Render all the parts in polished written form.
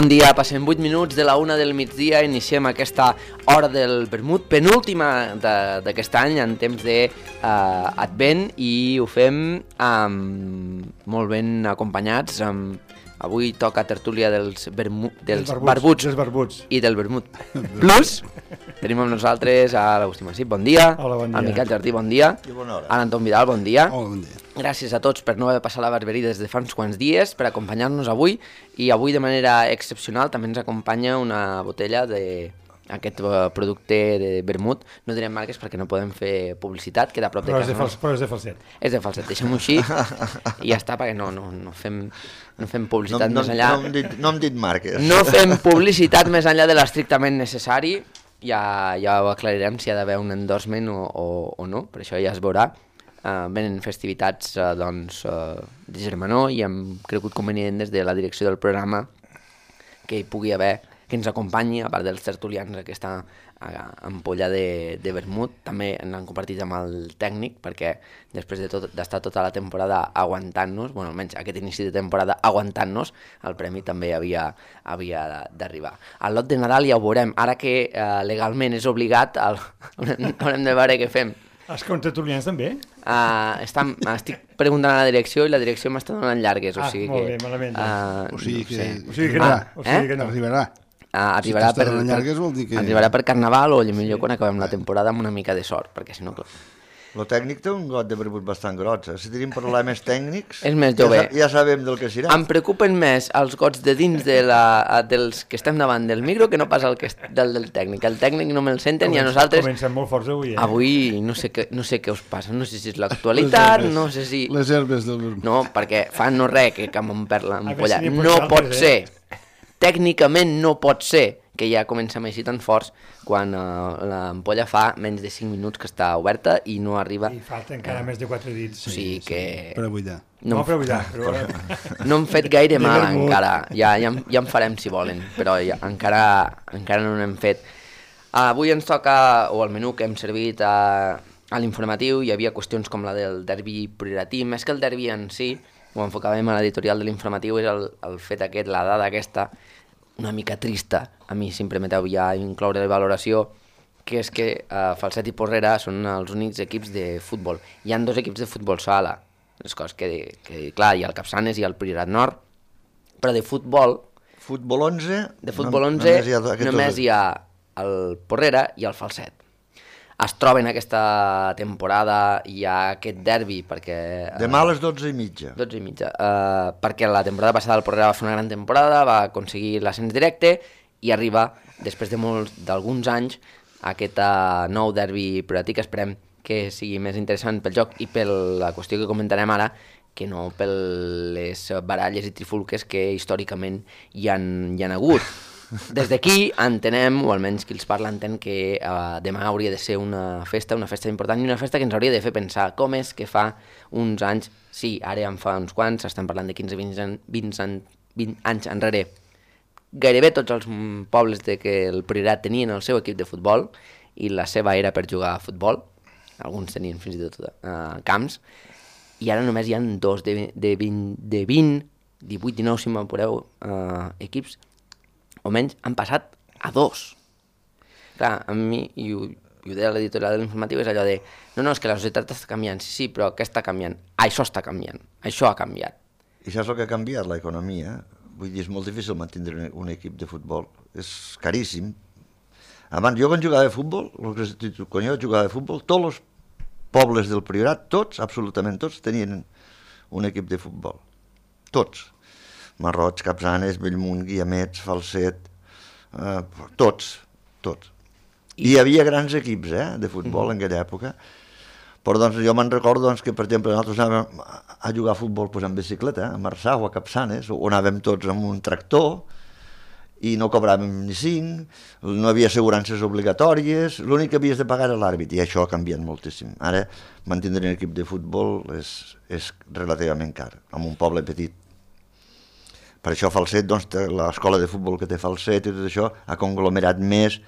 Bon dia, passem 8 minuts de la 1 del migdia, iniciem aquesta hora del vermut, penúltima d'aquest any en temps d'advent i ho fem molt ben acompanyats. Avui toca tertúlia dels barbuts i del vermut. Plus, tenim amb nosaltres a l'Agustí Massip, bon dia. Hola, bon dia. Al Miquel Jardí, bon dia. I bona hora. A l'Anton Vidal, bon dia. Hola, bon dia. Gràcies a tots per no haver passat la Barberí des de fa uns quants dies, per acompanyar-nos avui. I avui, de manera excepcional, també ens acompanya una botella d'aquest producte de vermut. No direm marques perquè no podem fer publicitat, queda a prop de casa. Però és de falset. És de falset, deixem-ho així i ja està, perquè no fem publicitat més enllà. No hem dit marques. No fem publicitat més enllà de l'estrictament necessari. Ja ho aclarirem si ha d'haver un endorsement o no, per això ja es veurà. Venen festivitats de germanor i hem cregut convenient des de la direcció del programa que hi pugui haver, que ens acompanyi, a part dels tertulians, aquesta ampolla de vermut. També l'han compartit amb el tècnic, perquè després d'estar tota la temporada aguantant-nos, bueno, almenys aquest inici de temporada aguantant-nos, el premi també havia d'arribar. El lot de Nadal ja ho veurem. Ara que legalment és obligat, haurem de veure què fem. Els contertulians també? Estic preguntant a la direcció i la direcció m'està donant llargues, o sigui molt bé, malament. O sigui que no. Arribarà. Arribarà Si t'està llargues vol dir que... Arribarà per Carnaval o millor quan acabem la temporada amb una mica de sort, perquè si no... Lo tècnic té un got de verbut bastant grots. Si tenim problemes tècnics, És més jove. Ja sabem del que serà. Em preocupen més els gots de dins dels que estem davant del micro que no pas del tècnic. El tècnic no me'l senten i a nosaltres... Comencem molt forts avui, Avui no sé què us passa, no sé si és l'actualitat, no sé si... Les herbes del vermut. No, perquè fa no res que m'omper l'ampolla. si n'hi No pot pot altres, ser. Tècnicament no pot ser que ja comencem així tan forts quan l'ampolla fa menys de 5 minuts que està oberta i no arriba... I falta encara més de 4 dits. O sigui que... Per a buidar. No per buidar, però... No hem fet gaire mal encara, ja en farem si volen, però encara no n'hem fet. Avui ens toca, o el menú que hem servit a l'informatiu, hi havia qüestions com la del derbi prioratí, més que el derbi en si, ho enfocàvem a l'editorial de l'informatiu, és el fet aquest, la dada aquesta, una mica trista, a mi si em permeteu ja incloure la valoració, que és que Falset i Porrera són els únics equips de futbol. Hi han 2 equips de futbol sala, les coses que clar, hi ha el Capçanes i el Priorat Nord, però de futbol... Futbol 11... De futbol 11 només hi ha el Porrera i el Falset. Es troben aquesta temporada, hi ha aquest derbi perquè... Demà a les 12:30. 12:30. Perquè la temporada passada el Porrera va fer una gran temporada, va aconseguir l'ascens directe i arriba, després d'alguns anys, aquest nou derbi prioratí que esperem que sigui més interessant pel joc i per la qüestió que comentarem ara, que no per les baralles i trifulques que històricament hi han hagut. Des d'aquí entenem, o almenys qui els parla entén, que demà hauria de ser una festa important i una festa que ens hauria de fer pensar com és que fa uns anys, sí, ara en fa uns quants, estem parlant de 15-20 anys enrere, gairebé tots els pobles que el Priorat tenien el seu equip de futbol i la seva era per jugar a futbol, alguns tenien fins i tot camps, i ara només hi ha 2 de 20, 18, 19, si m'apureu, equips, o menys han passat a 2. Clar, a mi, i ho deia l'editorial de l'informatiu, és allò de no, és que la societat està canviant, sí, però què està canviant? Això està canviant, això ha canviat. I saps el que ha canviat? L'economia. Vull dir, és molt difícil mantenir un equip de futbol. És caríssim. Abans, jo quan jugava de futbol, quan jo jugava de futbol, tots els pobles del Priorat, tots, absolutament tots, tenien un equip de futbol. Tots. Marroig, Capçanes, Bellmunt, Guiamets, Falset, tots. I hi havia grans equips de futbol en aquella època, però jo me'n recordo que, per exemple, nosaltres anàvem a jugar a futbol en bicicleta, a Marçà o a Capçanes, o anàvem tots amb un tractor i no cobràvem ni 5, no havia assegurances obligatòries, l'únic que havies de pagar era l'àrbit, i això ha canviat moltíssim. Ara, mantenir un equip de futbol és relativament car, en un poble petit. Per això Falset, l'escola de futbol que té Falset i tot això, ha conglomerat més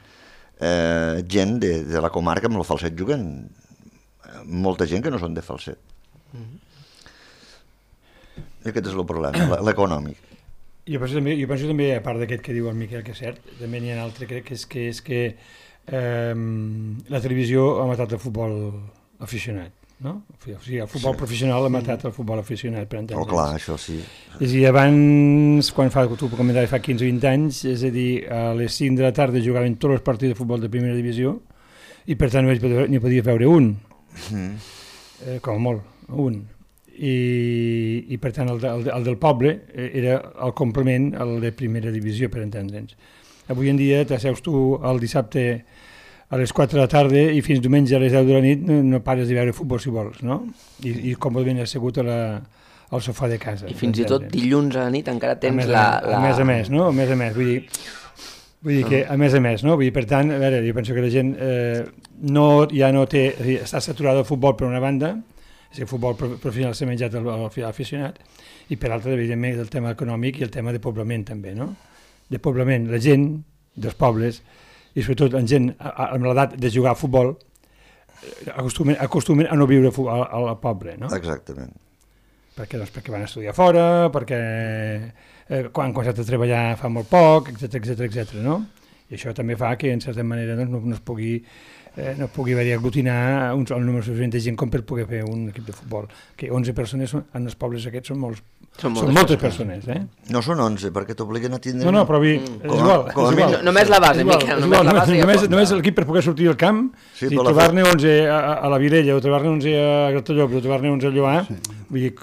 gent de la comarca. Amb el Falset juguen molta gent que no són de Falset. I aquest és el problema, l'econòmic. penso també, a part d'aquest que diu el Miquel, que és cert, també n'hi ha un altre, crec que és que la televisió ha matat el futbol aficionat, no? O sigui, el futbol professional ha matat el futbol aficionat, per entendre'ns. Clar, això sí. És a dir, abans, quan tu comentaves fa 15 o 20 anys, és a dir, a les 5 de la tarda jugaven tots els partits de futbol de primera divisió i per tant n'hi podia veure un, com a molt, un. I per tant el del poble era el complement al de primera divisió, per entendre'ns. Avui en dia t'asseus tu el dissabte a les 4 de la tarda i fins diumenge a les 10 de la nit no pares de veure futbol si vols, no? I còmodament assegut al sofà de casa. I fins i tot dilluns a la nit encara tens A més a més, no? A més a més, vull dir que a més, no? Vull dir, per tant, a veure, jo penso que la gent ja no té, està saturada del futbol per una banda, és que el futbol professional s'ha menjat l'aficionat, i per l'altra, evidentment, el tema econòmic i el tema de poblament també, no? De poblament, la gent dels pobles, i sobretot la gent amb l'edat de jugar a futbol, acostumen a no viure al poble, no? Exactament. Perquè van estudiar fora, perquè quan s'ha de treballar fa molt poc, etc, no? I això també fa que, en certa manera, no es pugui haver-hi aglutinar el número suficient de gent com per poder fer un equip de futbol. Que 11 persones en els pobles aquests són moltes persones, eh? No són 11, perquè t'obliguen a tindre... No, però és igual. Només la base, Miquel, només l'equip per poder sortir al camp, si trobar-ne 11 a la Vilella, o trobar-ne 11 a Gratallops, o trobar-ne 11 a Lloar, vull dir,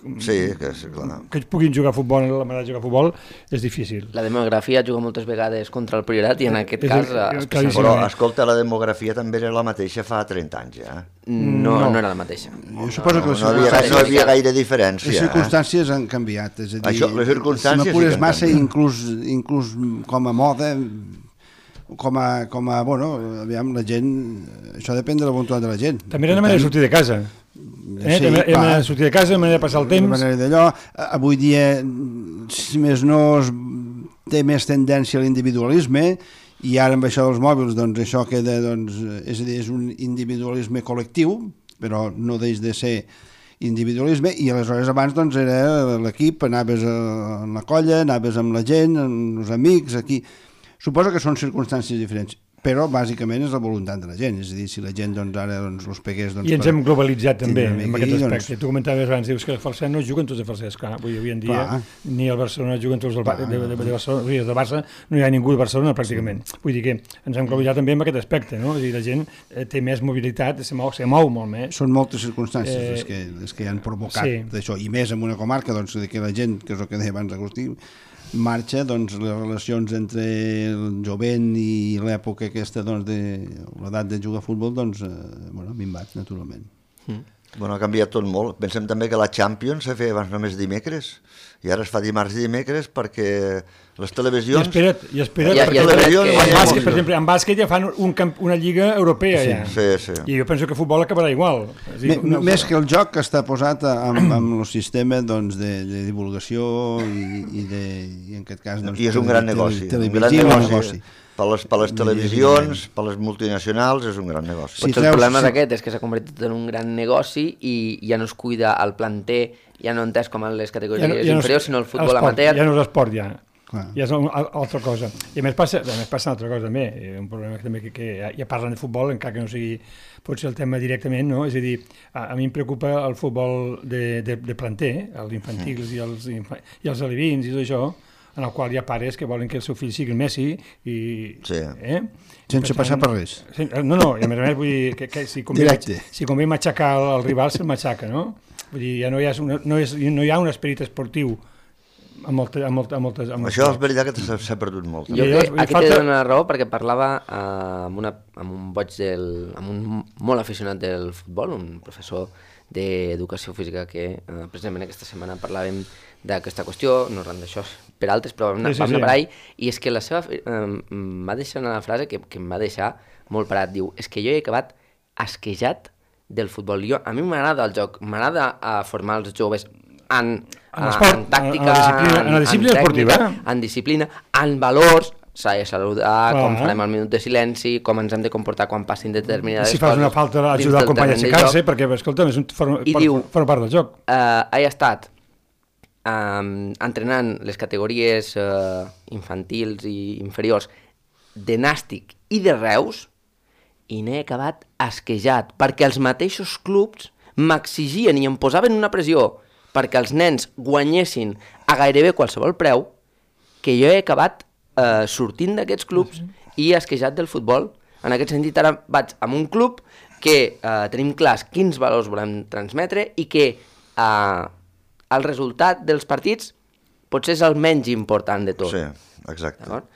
que puguin jugar a futbol, la manera de jugar a futbol, és difícil. La demografia juga moltes vegades contra el Priorat i en aquest cas... Però, escolta, la demografia també era la mateixa fa 30 anys, ja. No era la mateixa. Jo suposo que no havia gaire diferència. Les circumstàncies han canviat, és a dir, les circumstàncies si m'apures massa, inclús com a moda, com a, bueno, aviam, la gent, això depèn de la voluntat de la gent. També era la manera de sortir de casa. Era la manera de sortir de casa, la manera de passar el temps. La manera d'allò, avui dia, si més no, té més tendència a l'individualisme, i ara amb això dels mòbils, doncs això queda, doncs, és a dir, és un individualisme col·lectiu, però no deix de ser individualisme, i aleshores abans doncs era l'equip, anaves a la colla, anaves amb la gent, amb els amics, aquí. Suposo que són circumstàncies diferents, però bàsicament és la voluntat de la gent, és a dir, si la gent doncs ara els pegués... I ens hem globalitzat també en aquest aspecte. Tu comentaves abans, dius que el falset no juguen tots de falsets, clar, avui en dia ni el Barcelona juguen tots de Barcelona, de Barça no hi ha ningú de Barcelona pràcticament. Vull dir que ens hem globalitzat també en aquest aspecte, no? És a dir, la gent té més mobilitat, se mou molt més. Són moltes circumstàncies les que han provocat això, i més en una comarca, doncs, que la gent, que és el que deia abans Agustí, marxa, doncs, les relacions entre el jovent i l'època aquesta, doncs, de l'edat de jugar a futbol, doncs, bueno, minvat, naturalment. Bueno, ha canviat tot molt. Pensem també que la Champions se feia abans només dimecres, i ara es fa dimarts i dimecres perquè les televisions... I espera't, per exemple, en bàsquet ja fan una lliga europea, ja. Sí. I jo penso que el futbol acabarà igual. Més que el joc que està posat amb el sistema de divulgació i en aquest cas... I és un gran negoci. Un gran negoci. Per les televisions, per les multinacionals, és un gran negoci. Potser el problema d'aquest és que s'ha convertit en un gran negoci i ja no es cuida el planter, ja no entès com en les categories inferiors, sinó el futbol amateur. Ja no és l'esport, ja. Ja és altra cosa. I a més passa una altra cosa també, un problema també que ja parlen de futbol, encara que no sigui potser el tema directament, no? És a dir, a mi em preocupa el futbol de planter, els infantils i els alevins i tot això, en el qual hi ha pares que volen que el seu fill sigui el Messi i... Sí. Sense passar per res. No, i a més vull dir que si convé matxacar el rival, se'l matxaca, no? Vull dir, ja no hi ha un esperit esportiu amb moltes... Això és veritat que s'ha perdut molt. Jo crec que aquí t'he de donar raó perquè parlava amb un molt aficionat del futbol, un professor d'educació física que precisament aquesta setmana parlàvem d'aquesta qüestió, no ran d'això per altres, però vam anar per ahí, i és que la seva m'ha deixat una frase que em va deixar molt parat, diu, és que jo he acabat asquejat del futbol. A mi m'agrada el joc, m'agrada formar els joves en tàctica, en la disciplina esportiva, en disciplina, en valors, s'ha de saludar, com farem el minut de silenci, com ens hem de comportar quan passin determinades coses. Si fas una falta, ajudar el company a aixecar-se, perquè, escolta, forma part del joc. He estat entrenant les categories infantils i inferiors de Nàstic i de Reus, i n'he acabat asquejat, perquè els mateixos clubs m'exigien i em posaven una pressió perquè els nens guanyessin a gairebé qualsevol preu, que jo he acabat sortint d'aquests clubs i asquejat del futbol. En aquest sentit, ara vaig amb un club que tenim clars quins valors volem transmetre i que el resultat dels partits potser és el menys important de tot. Sí, exacte. D'acord?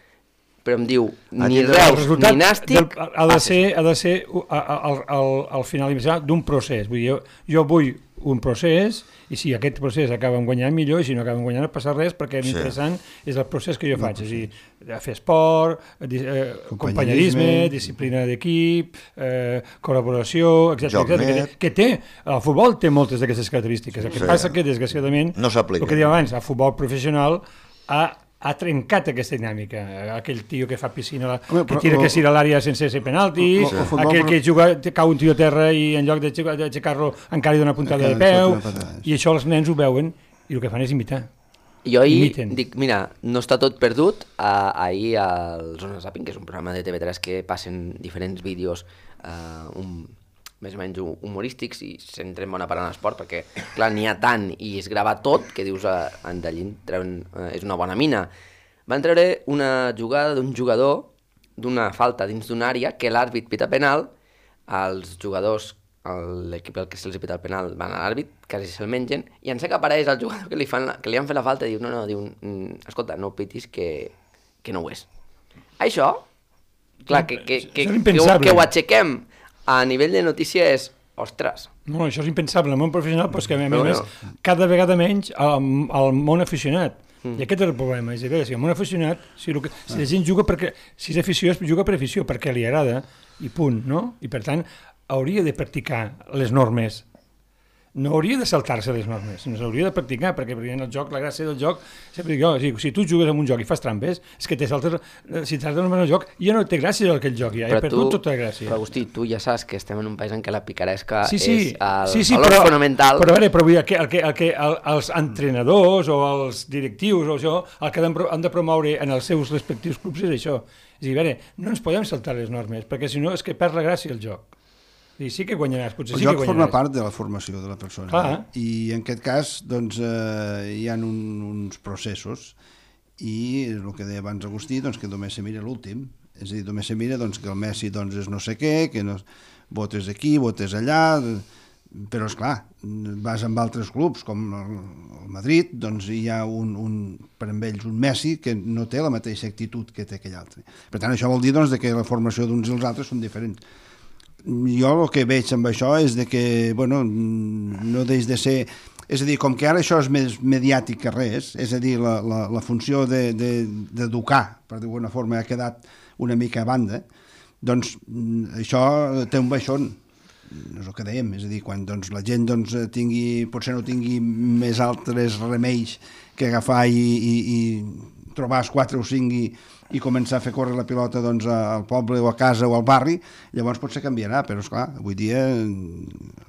Però em diu, ni Reus ni Nàstic... Ha de ser al final d'un procés. Vull dir, jo vull un procés, i si aquest procés acaba guanyant millor, i si no acaba guanyant no passa res, perquè l'interessant és el procés que jo faig, és a dir, fer esport, companyerisme, disciplina d'equip, col·laboració, etc. Que té, el futbol té moltes d'aquestes característiques. El que passa que, desgraciadament, no s'aplica. El que deia abans, el futbol professional ha trencat aquesta dinàmica. Aquell tio que fa piscina, que tira que a l'àrea sense ser penalti, aquell que cau un tio a terra i en lloc d'aixecar-lo encara li dona puntada de peu, i això els nens ho veuen i el que fan és imitar. Jo ahir dic, mira, no està tot perdut. Ahir al Zona Zapping, que és un programa de TV3 que passen diferents vídeos més o menys humorístics i centren bona part en l'esport, perquè clar, n'hi ha tant i es grava tot que dius en Dallín és una bona mina. Van treure una jugada d'un jugador d'una falta dins d'una àrea que l'àrbit pita penal, els jugadors, l'equip al que se'ls pita el penal van a l'àrbit, quasi se'l mengen, i en sé que apareix el jugador que li han fet la falta i diu, diu, escolta, no pitis que no ho és. Això, clar, que ho aixequem a nivell de notícia és, ostres. No, això és impensable. El món professional, però és que a més, cada vegada menys al món aficionat. I aquest és el problema. És a dir, si el món aficionat, si la gent juga perquè, si és afició, juga per afició, perquè li agrada, i punt, no? I per tant, hauria de practicar les normes. No hauria de saltar-se les normes, no s'hauria de practicar, perquè en el joc, la gràcia del joc, sempre dic, si tu jugues en un joc i fas trampes, és que si t'has de el joc, ja no té gràcia aquell joc, ja he perdut tota la gràcia. Però Agustí, tu ja saps que estem en un país en què la picaresca és el valor fonamental. Però vull dir, els entrenadors o els directius o això, el que han de promoure en els seus respectius clubs és això. És a dir, no ens podem saltar les normes, perquè si no és que perd la gràcia el joc. I sí que guanyaràs, potser sí que guanyaràs. El joc forma part de la formació de la persona. Clar. I en aquest cas, doncs, hi ha uns processos i el que deia abans Agustí, doncs, que només se mira l'últim. És a dir, només se mira doncs, que el Messi doncs, és no sé què, que no, votes aquí, votes allà, però esclar, vas amb altres clubs com el Madrid, doncs hi ha per amb ells un Messi que no té la mateixa actitud que té aquell altre. Per tant, això vol dir doncs, que la formació d'uns i els altres són diferents. Jo el que veig amb això és de que, bueno, no deix de ser... És a dir, com que ara això és més mediàtic que res, és a dir, la funció d'educar, per dir-ho forma, ha quedat una mica a banda, doncs això té un baixón, no és el que dèiem, és a dir, quan doncs, la gent doncs, potser no tingui més altres remeis que agafar i trobar els 4 o 5 i començar a fer córrer la pilota doncs, al poble o a casa o al barri, llavors potser canviarà, però esclar, avui dia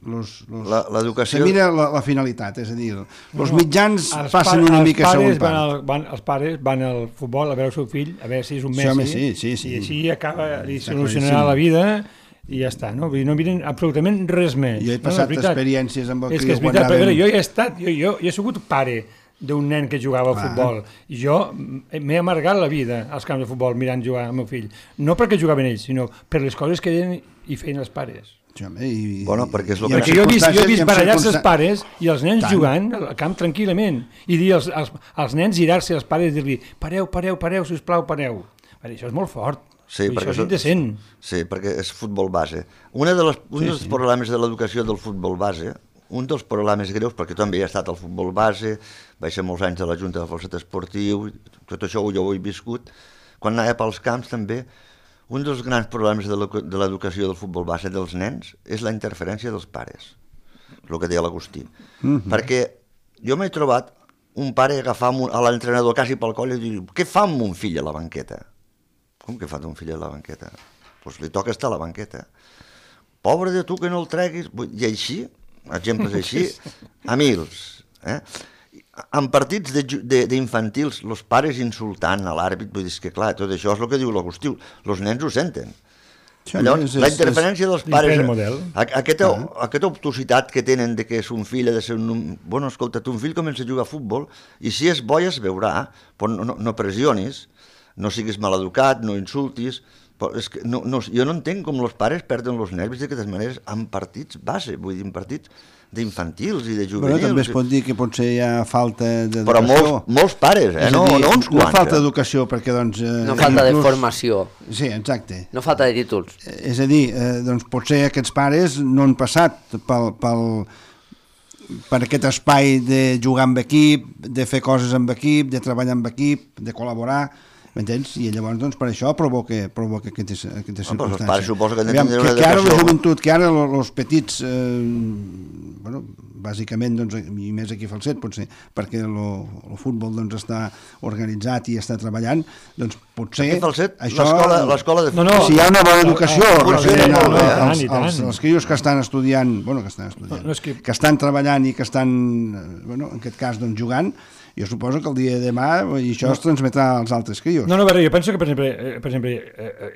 l'educació... se mira la finalitat, és a dir, els mitjans passen una mica a segon part. Els pares van al futbol a veure el seu fill, a veure si és un Messi, sí. I així acaba, li solucionarà la vida i ja està, no? No miren absolutament res més. Jo he passat experiències amb el criu quan anàvem... Jo he estat, jo he sigut pare d'un nen que jugava a futbol. I jo m'he amargat la vida als camps de futbol mirant jugar el meu fill. No perquè jugaven ells, sinó per les coses que deien i feien els pares. Bueno, perquè és el perquè jo he vist barallar-se els pares i els nens jugant al camp tranquil·lament i dir als nens girar-se als pares i dir-li pareu, sisplau, pareu. Això és molt fort. Sí, això és indecent. Sí, perquè és futbol base. Un dels problemes de l'educació del futbol base, un dels problemes greus, perquè també he estat al futbol base, vaig ser molts anys a la Junta de Falset Esportiu, tot això jo ho he viscut, quan anava pels camps també, un dels grans problemes de l'educació del futbol base dels nens és la interferència dels pares, el que deia l'Agustí. Perquè jo m'he trobat un pare agafar a l'entrenador quasi pel coll i dir, què fa amb un fill a la banqueta? Com que fa un fill a la banqueta? Doncs li toca estar a la banqueta. Pobre de tu que no el treguis, i així, exemples així, a mils. en partits d'infantils, els pares insultant a l'àrbit, vull dir que clar, tot això és el que diu l'Agustí, els nens ho senten. Llavors, la interferència dels pares, aquesta obtusitat que tenen de que son fill ha de ser un... Bueno, escolta, ton fill comença a jugar a futbol i si és bo ja es veurà, però no pressionis, no siguis maleducat, no insultis... És que jo no entenc com els pares perden els nervis d'aquestes maneres en partits base, vull dir, en partits d'infantils i de juvenils. Però també es pot dir que potser hi ha falta d'educació. Però molts pares, no uns quants. No falta d'educació perquè, doncs... No falta de formació. Sí, exacte. No falta de títols. És a dir, doncs potser aquests pares no han passat per aquest espai de jugar amb equip, de fer coses amb equip, de treballar amb equip, de col·laborar... M'entens? I llavors, doncs, per això provoca aquestes circumstàncies. Però els pares suposo que han de tindre una educació. Que ara la joventut, que ara els petits, bueno, bàsicament, doncs, i més aquí a Falset, potser, perquè el futbol doncs, està organitzat i està treballant, doncs potser... Aquí a Falset, això, l'escola de futbol... Si hi ha una bona educació, els crios que estan estudiant, que estan treballant i que estan, bueno, en aquest cas, doncs, jugant, jo suposo que el dia de demà i això es transmetrà als altres crios. No, jo penso que, per exemple,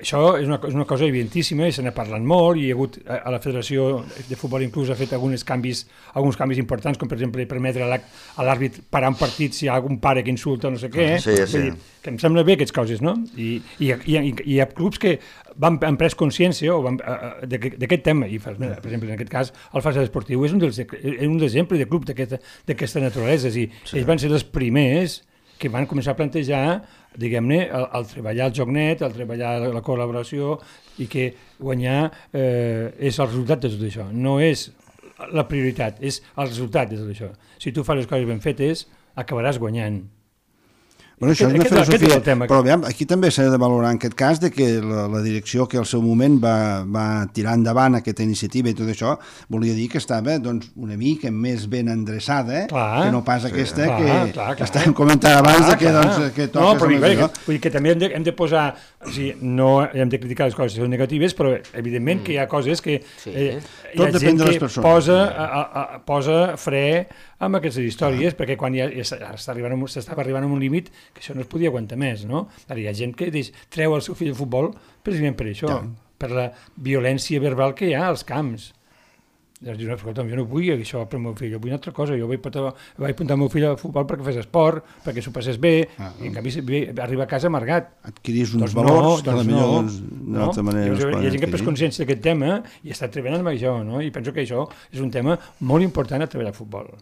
això és una cosa evidentíssima i se n'ha parlat molt i hi ha hagut a la Federació de Futbol inclús ha fet alguns canvis importants, com per exemple permetre a l'àrbit parar un partit si hi ha algun pare que insulta no sé què. Sí. Vull dir, que em sembla bé aquestes coses, no? I hi ha clubs que han pres consciència d'aquest tema i, per exemple, en aquest cas el Falset Esportiu és un exemple de club d'aquesta naturalesa. Ells van ser els primers que van començar a plantejar, diguem-ne, el treballar el joc net, el treballar la col·laboració i que guanyar és el resultat de tot això. No és la prioritat, és el resultat de tot això. Si tu fas les coses ben fetes, acabaràs guanyant. Bueno, això és una filosofia, però aquí també s'ha de valorar en aquest cas de que la direcció que al seu moment va tirar endavant aquesta iniciativa i tot això, volia dir que estava doncs, una mica més ben endreçada, que no pas aquesta que estàvem comentant abans que toques... Vull dir que també hem de posar... O sigui, no hem de criticar les coses que són negatives, però evidentment que hi ha coses que hi ha gent que posa fre amb aquestes històries, perquè quan s'estava arribant a un límit que això no es podia aguantar més, no? Ara hi ha gent que treu el seu fill de futbol precisament per això, per la violència verbal que hi ha als camps. Escolta'm, jo no vull això per al meu fill, jo vull una altra cosa, jo vaig apuntar el meu fill al futbol perquè fes esport, perquè s'ho passés bé, i en canvi arriba a casa amargat. Adquirís uns valors que potser d'una altra manera no es poden adquirir. Hi ha gent que ha pres consciència d'aquest tema i està treballant amb això, no? I penso que això és un tema molt important a treballar al futbol.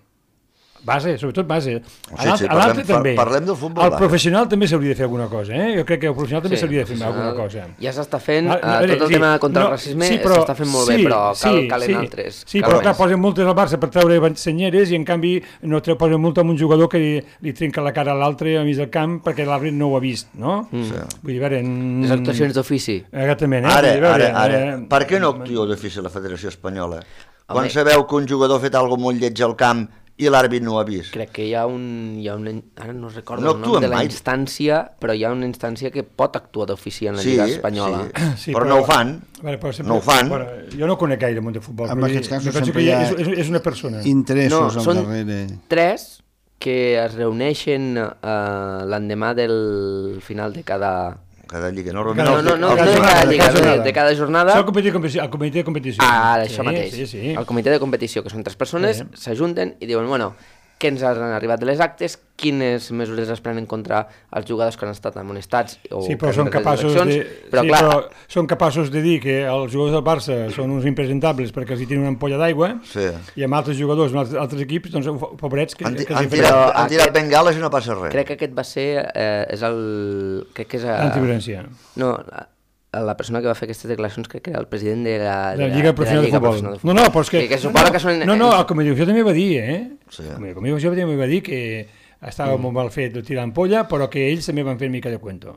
Base, sobretot base. Parlem del futbol. El professional també s'hauria de fer alguna cosa, Jo crec que el professional també s'hauria de fer alguna cosa. Ja s'està fent, tot el tema contra el racisme s'està fent molt bé, però calen altres. Sí, però clar, posen multes al Barça per treure senyeres i en canvi no posen multa a un jugador que li trenca la cara a l'altre a mig del camp perquè l'àrbit no ho ha vist, no? Vull dir, a veure... Les actuacions d'ofici. Exactament. Ara, per què no actua d'ofici la Federació Espanyola? Quan sabeu que un jugador ha fet alguna molt lleig al camp i l'àrbit no ho ha vist. Crec que hi ha ara no recordo el nom de la instància, però hi ha una instància que pot actuar d'ofici en la Lliga Espanyola. Sí, però no ho fan. No ho fan. Jo no conec gaire el món de futbol. En aquests casos sempre hi ha és una persona. Interessos al darrere. Són 3 que es reuneixen l'endemà del final de cada lliga, no de cada lliga, de cada jornada. El comitè de competició. Això mateix. El comitè de competició, que són 3 persones, s'ajunten i diuen, bueno, què ens han arribat de les actes, quines mesures es prenen contra els jugadors que han estat amonestats. Sí, però són capaços de dir que els jugadors del Barça són uns impresentables perquè els hi tenen una ampolla d'aigua i amb altres jugadors, amb altres equips, doncs pobrets... Han tirat bengales i no passa res. Crec que aquest va ser... Antiviolència. No, la persona que va fer aquestes declaracions crec que era el president de la Lliga Professional de Futbol. No, però és que... el Comissió també va dir, El Comissió també va dir que estava molt mal fet tirar l'ampolla, però que ells també van fer mica de cuento.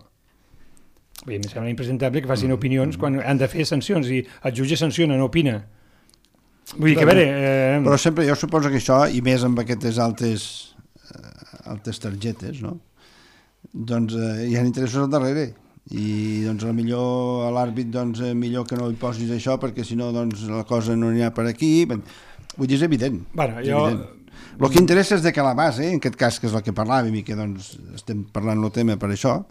Em sembla impresentable que facin opinions quan han de fer sancions i el jutge sanciona, no opina. Vull dir que, a veure... Però sempre, jo suposo que això, i més amb aquestes altes targetes, no? Doncs hi ha interessos al darrere. I doncs millor a l'àrbit millor que no hi posis això perquè si no la cosa no n'hi ha per aquí. Vull dir, és evident. El que interessa és de que la base, en aquest cas, que és el que parlàvem i que doncs, estem parlant el tema per això,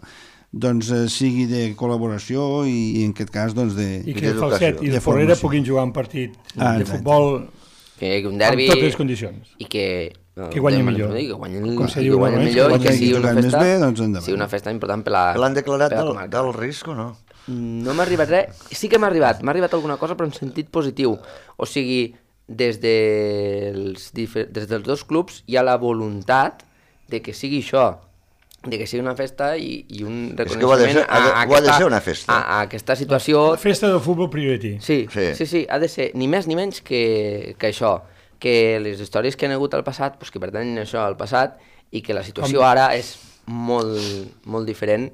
doncs sigui de col·laboració i en aquest cas doncs de... I que el Falset i el Porrera puguin jugar un partit de futbol que un derbi amb totes les condicions. I que guanyi millor. Que guanyi millor i que sigui una festa important per la l'han declarat del risc o no? No m'ha arribat res. Sí que m'ha arribat alguna cosa, però en sentit positiu. O sigui, des dels dos clubs hi ha la voluntat de que sigui això, de que sigui una festa i un reconeixement a aquesta situació. La festa del futbol priority. Sí, ha de ser ni més ni menys que això, que les històries que han hagut al passat, doncs que pertanyen això al passat, i que la situació ara és molt diferent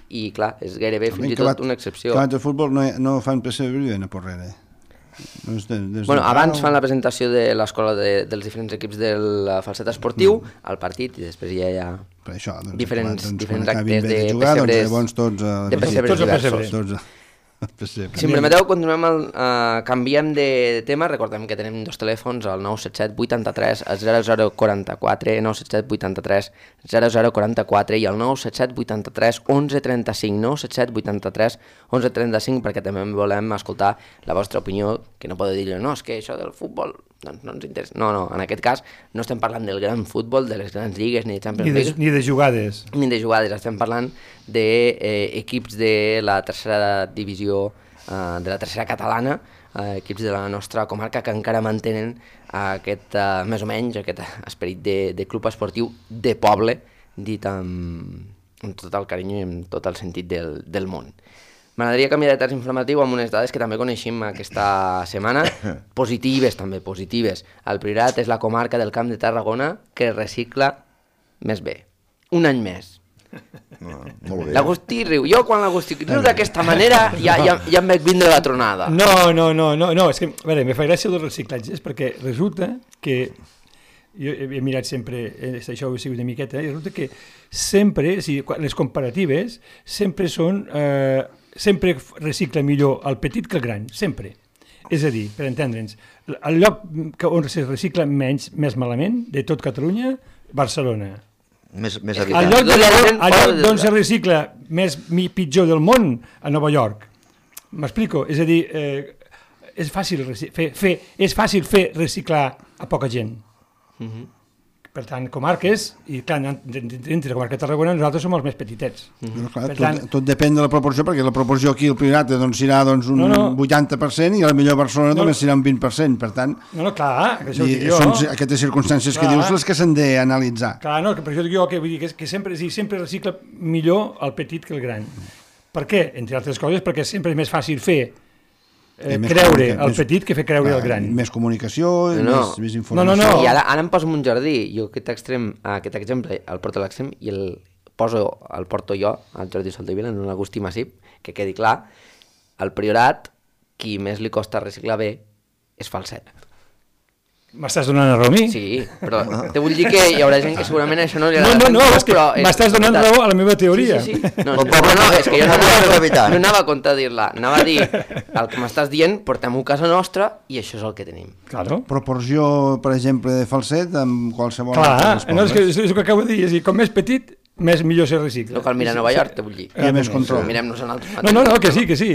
i clar, és gairebé fins i tot una excepció. Que abans el futbol no fan PSV a Porrera. Abans fan la presentació de l'escola dels diferents equips del Falset esportiu al partit i després ja hi ha diferents actes de pessebres diversos. Si em permeteu, canviem de tema. Recordem que tenim dos telèfons, el 977 83 0044, 977 83 0044 i el 977 83 1135, 977 83 1135, perquè també volem escoltar la vostra opinió, que no podeu dir, no, és que això del futbol doncs no ens interessa. No, en aquest cas no estem parlant del gran futbol, de les grans lligues, ni de Champions League. Ni de jugades. Ni de jugades, estem parlant d'equips de la tercera divisió, de la tercera catalana, equips de la nostra comarca que encara mantenen aquest, més o menys, aquest esperit de club esportiu de poble, dit amb tot el carinyo i amb tot el sentit del món. M'agradaria canviar de terç informatiu amb unes dades que també coneixem aquesta setmana, positives. El Priorat és la comarca del Camp de Tarragona que recicla més bé. Un any més. L'Agustí riu. Jo quan l'Agustí riu d'aquesta manera ja em veig vindre la tronada. No, és que, a veure, me fa gràcia dels reciclatges perquè resulta que jo he mirat sempre, això ho he sigut una miqueta, i resulta que sempre, les comparatives sempre són... sempre recicla millor el petit que el gran, sempre. És a dir, per entendre'ns, el lloc on se recicla més malament de tot Catalunya, Barcelona. Més el lloc d'on se recicla pitjor del món, a Nova York. M'explico? És a dir, és fàcil fer reciclar a poca gent. Per tant, comarques, i clar, dintre la comarca de Tarragona nosaltres som els més petitets. Tot depèn de la proporció, perquè la proporció aquí al Priorat serà un 80% i a la millor Barcelona només serà un 20%, per tant... clar, això ho dic jo. Són aquestes circumstàncies que dius les que s'han d'analitzar. Clar, per això dic jo que vull dir que sempre recicla millor el petit que el gran. Per què? Entre altres coses, perquè sempre és més fàcil fer creure el petit que fer creure el gran. Més comunicació, més informació. No. I ara em poso en un jardí. Jo aquest exemple el porto a l'extrem i el porto jo al Jordi Soldevila, en un Agustí Massip, que quedi clar, al Priorat, qui més li costa reciclar bé és Falset. M'estàs donant raó a mi? Sí, però te vull dir que hi haurà gent que segurament això no li agrada. No, és que m'estàs donant raó a la meva teoria. Sí. No, és que jo no anava a comptar dir-la. Anava a dir, el que m'estàs dient, portem-ho a casa nostra i això és el que tenim. Claro. Proporció, per exemple, de Falset amb qualsevol... Clar, és el que acabo de dir. És a dir, com més petit, millor se recicla. No cal mirar Nova York, te vull dir. Hi ha més control. Mirem-nos en altres mateixos. No, que sí.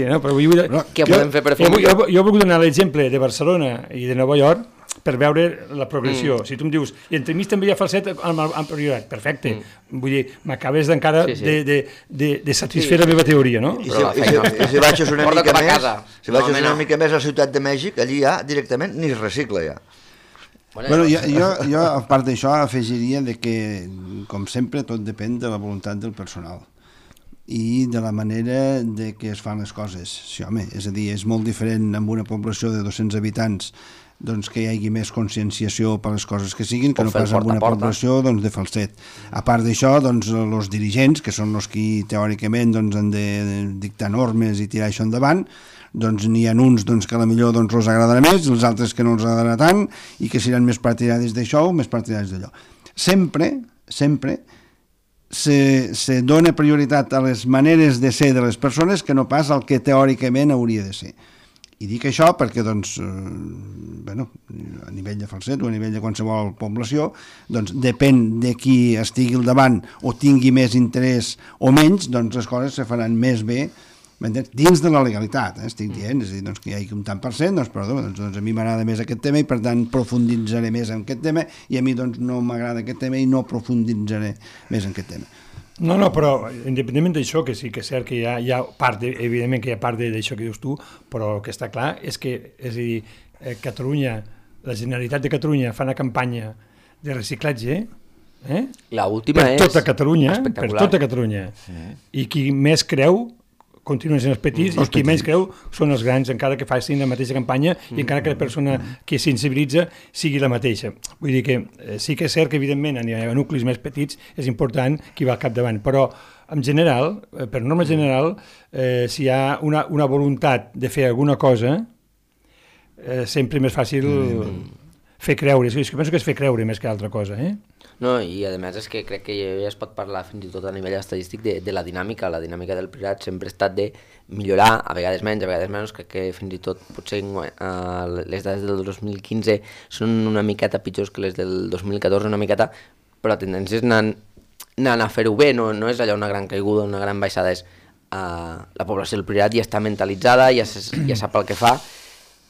Què podem fer per fer? Jo he volgut donar l'exemple de Barcelona i de Nova York per veure la progressió. Si tu em dius, i entremig també hi ha Falset amb Priorat, perfecte. Vull dir, m'acabes encara de satisfer la meva teoria, no? I si baixes una mica més a la Ciutat de Mèxic, allí ja directament ni es recicla ja. Bueno, jo a part d'això afegiria que, com sempre, tot depèn de la voluntat del personal i de la manera de que es fan les coses. Sí, home, és a dir, és molt diferent amb una població de 200 habitants que hi hagi més conscienciació per les coses que siguin, que no pas amb una població de Falset. A part d'això, els dirigents, que són els que teòricament han de dictar normes i tirar això endavant, n'hi ha uns que potser els agradarà més, els altres que no els agradarà tant, i que seran més partidaris d'això o més partidaris d'allò. Sempre se dona prioritat a les maneres de ser de les persones que no pas al que teòricament hauria de ser. I dic això perquè, doncs, bueno, a nivell de Falset o a nivell de qualsevol població, doncs, depèn de qui estigui al davant o tingui més interès o menys, doncs les coses se faran més bé, dins de la legalitat, estic dient, és a dir, doncs, que hi hagi un tant per cent, doncs, perdó, doncs a mi m'agrada més aquest tema i per tant profunditzaré més en aquest tema i a mi doncs no m'agrada aquest tema i no profunditzaré més en aquest tema. No, però independentment d'això, que sí que és cert que hi ha part, evidentment que hi ha part d'això que dius tu, però el que està clar és que, és a dir, Catalunya, la Generalitat de Catalunya fa una campanya de reciclatge, La última per és tota Catalunya, espectacular. per tota Catalunya. I qui més creu continuen sent els petits i qui menys creu són els grans, encara que facin la mateixa campanya i encara que la persona que sensibilitza sigui la mateixa. Vull dir que sí que és cert que evidentment a nuclis més petits és important qui va al capdavant, però en general, per norma general, si hi ha una voluntat de fer alguna cosa, sempre és més fàcil fer creure. És que penso que és fer creure més que altra cosa, No, i a més és que crec que ja es pot parlar fins i tot a nivell estadístic de la dinàmica. La dinàmica del Priorat sempre ha estat de millorar, a vegades menys, crec que fins i tot potser les dades del 2015 són una miqueta pitjors que les del 2014, una miqueta, però la tendència és anar a fer-ho bé, no és allà una gran caiguda, una gran baixada, és la població del Priorat ja està mentalitzada, ja sap el que fa,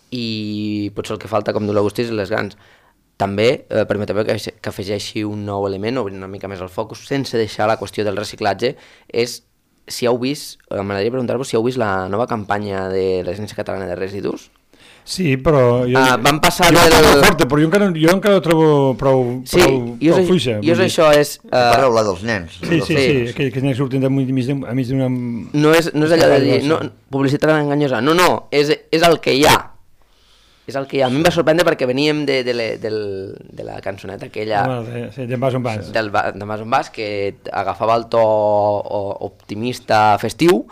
i potser el que falta, com diu l'Agustí, és les grans. També permeteu que afegeixi un nou element, obrir una mica més el focus, sense deixar la qüestió del reciclatge, és si heu vist, m'agradaria preguntar-vos si heu vist la nova campanya de l'Agència Catalana de Residus. Sí, però... Van passar però jo encara ho trobo prou fluixa. I això és... Parleu la dels nens. Sí, que els nens surten a mig d'una... No és allò de dir, publicitat enganyosa, no, és el que hi ha. És el que a mi em va sorprendre perquè veníem de la cançoneta aquella de Vas on vas, de Vas on vas, que agafava el to optimista festiu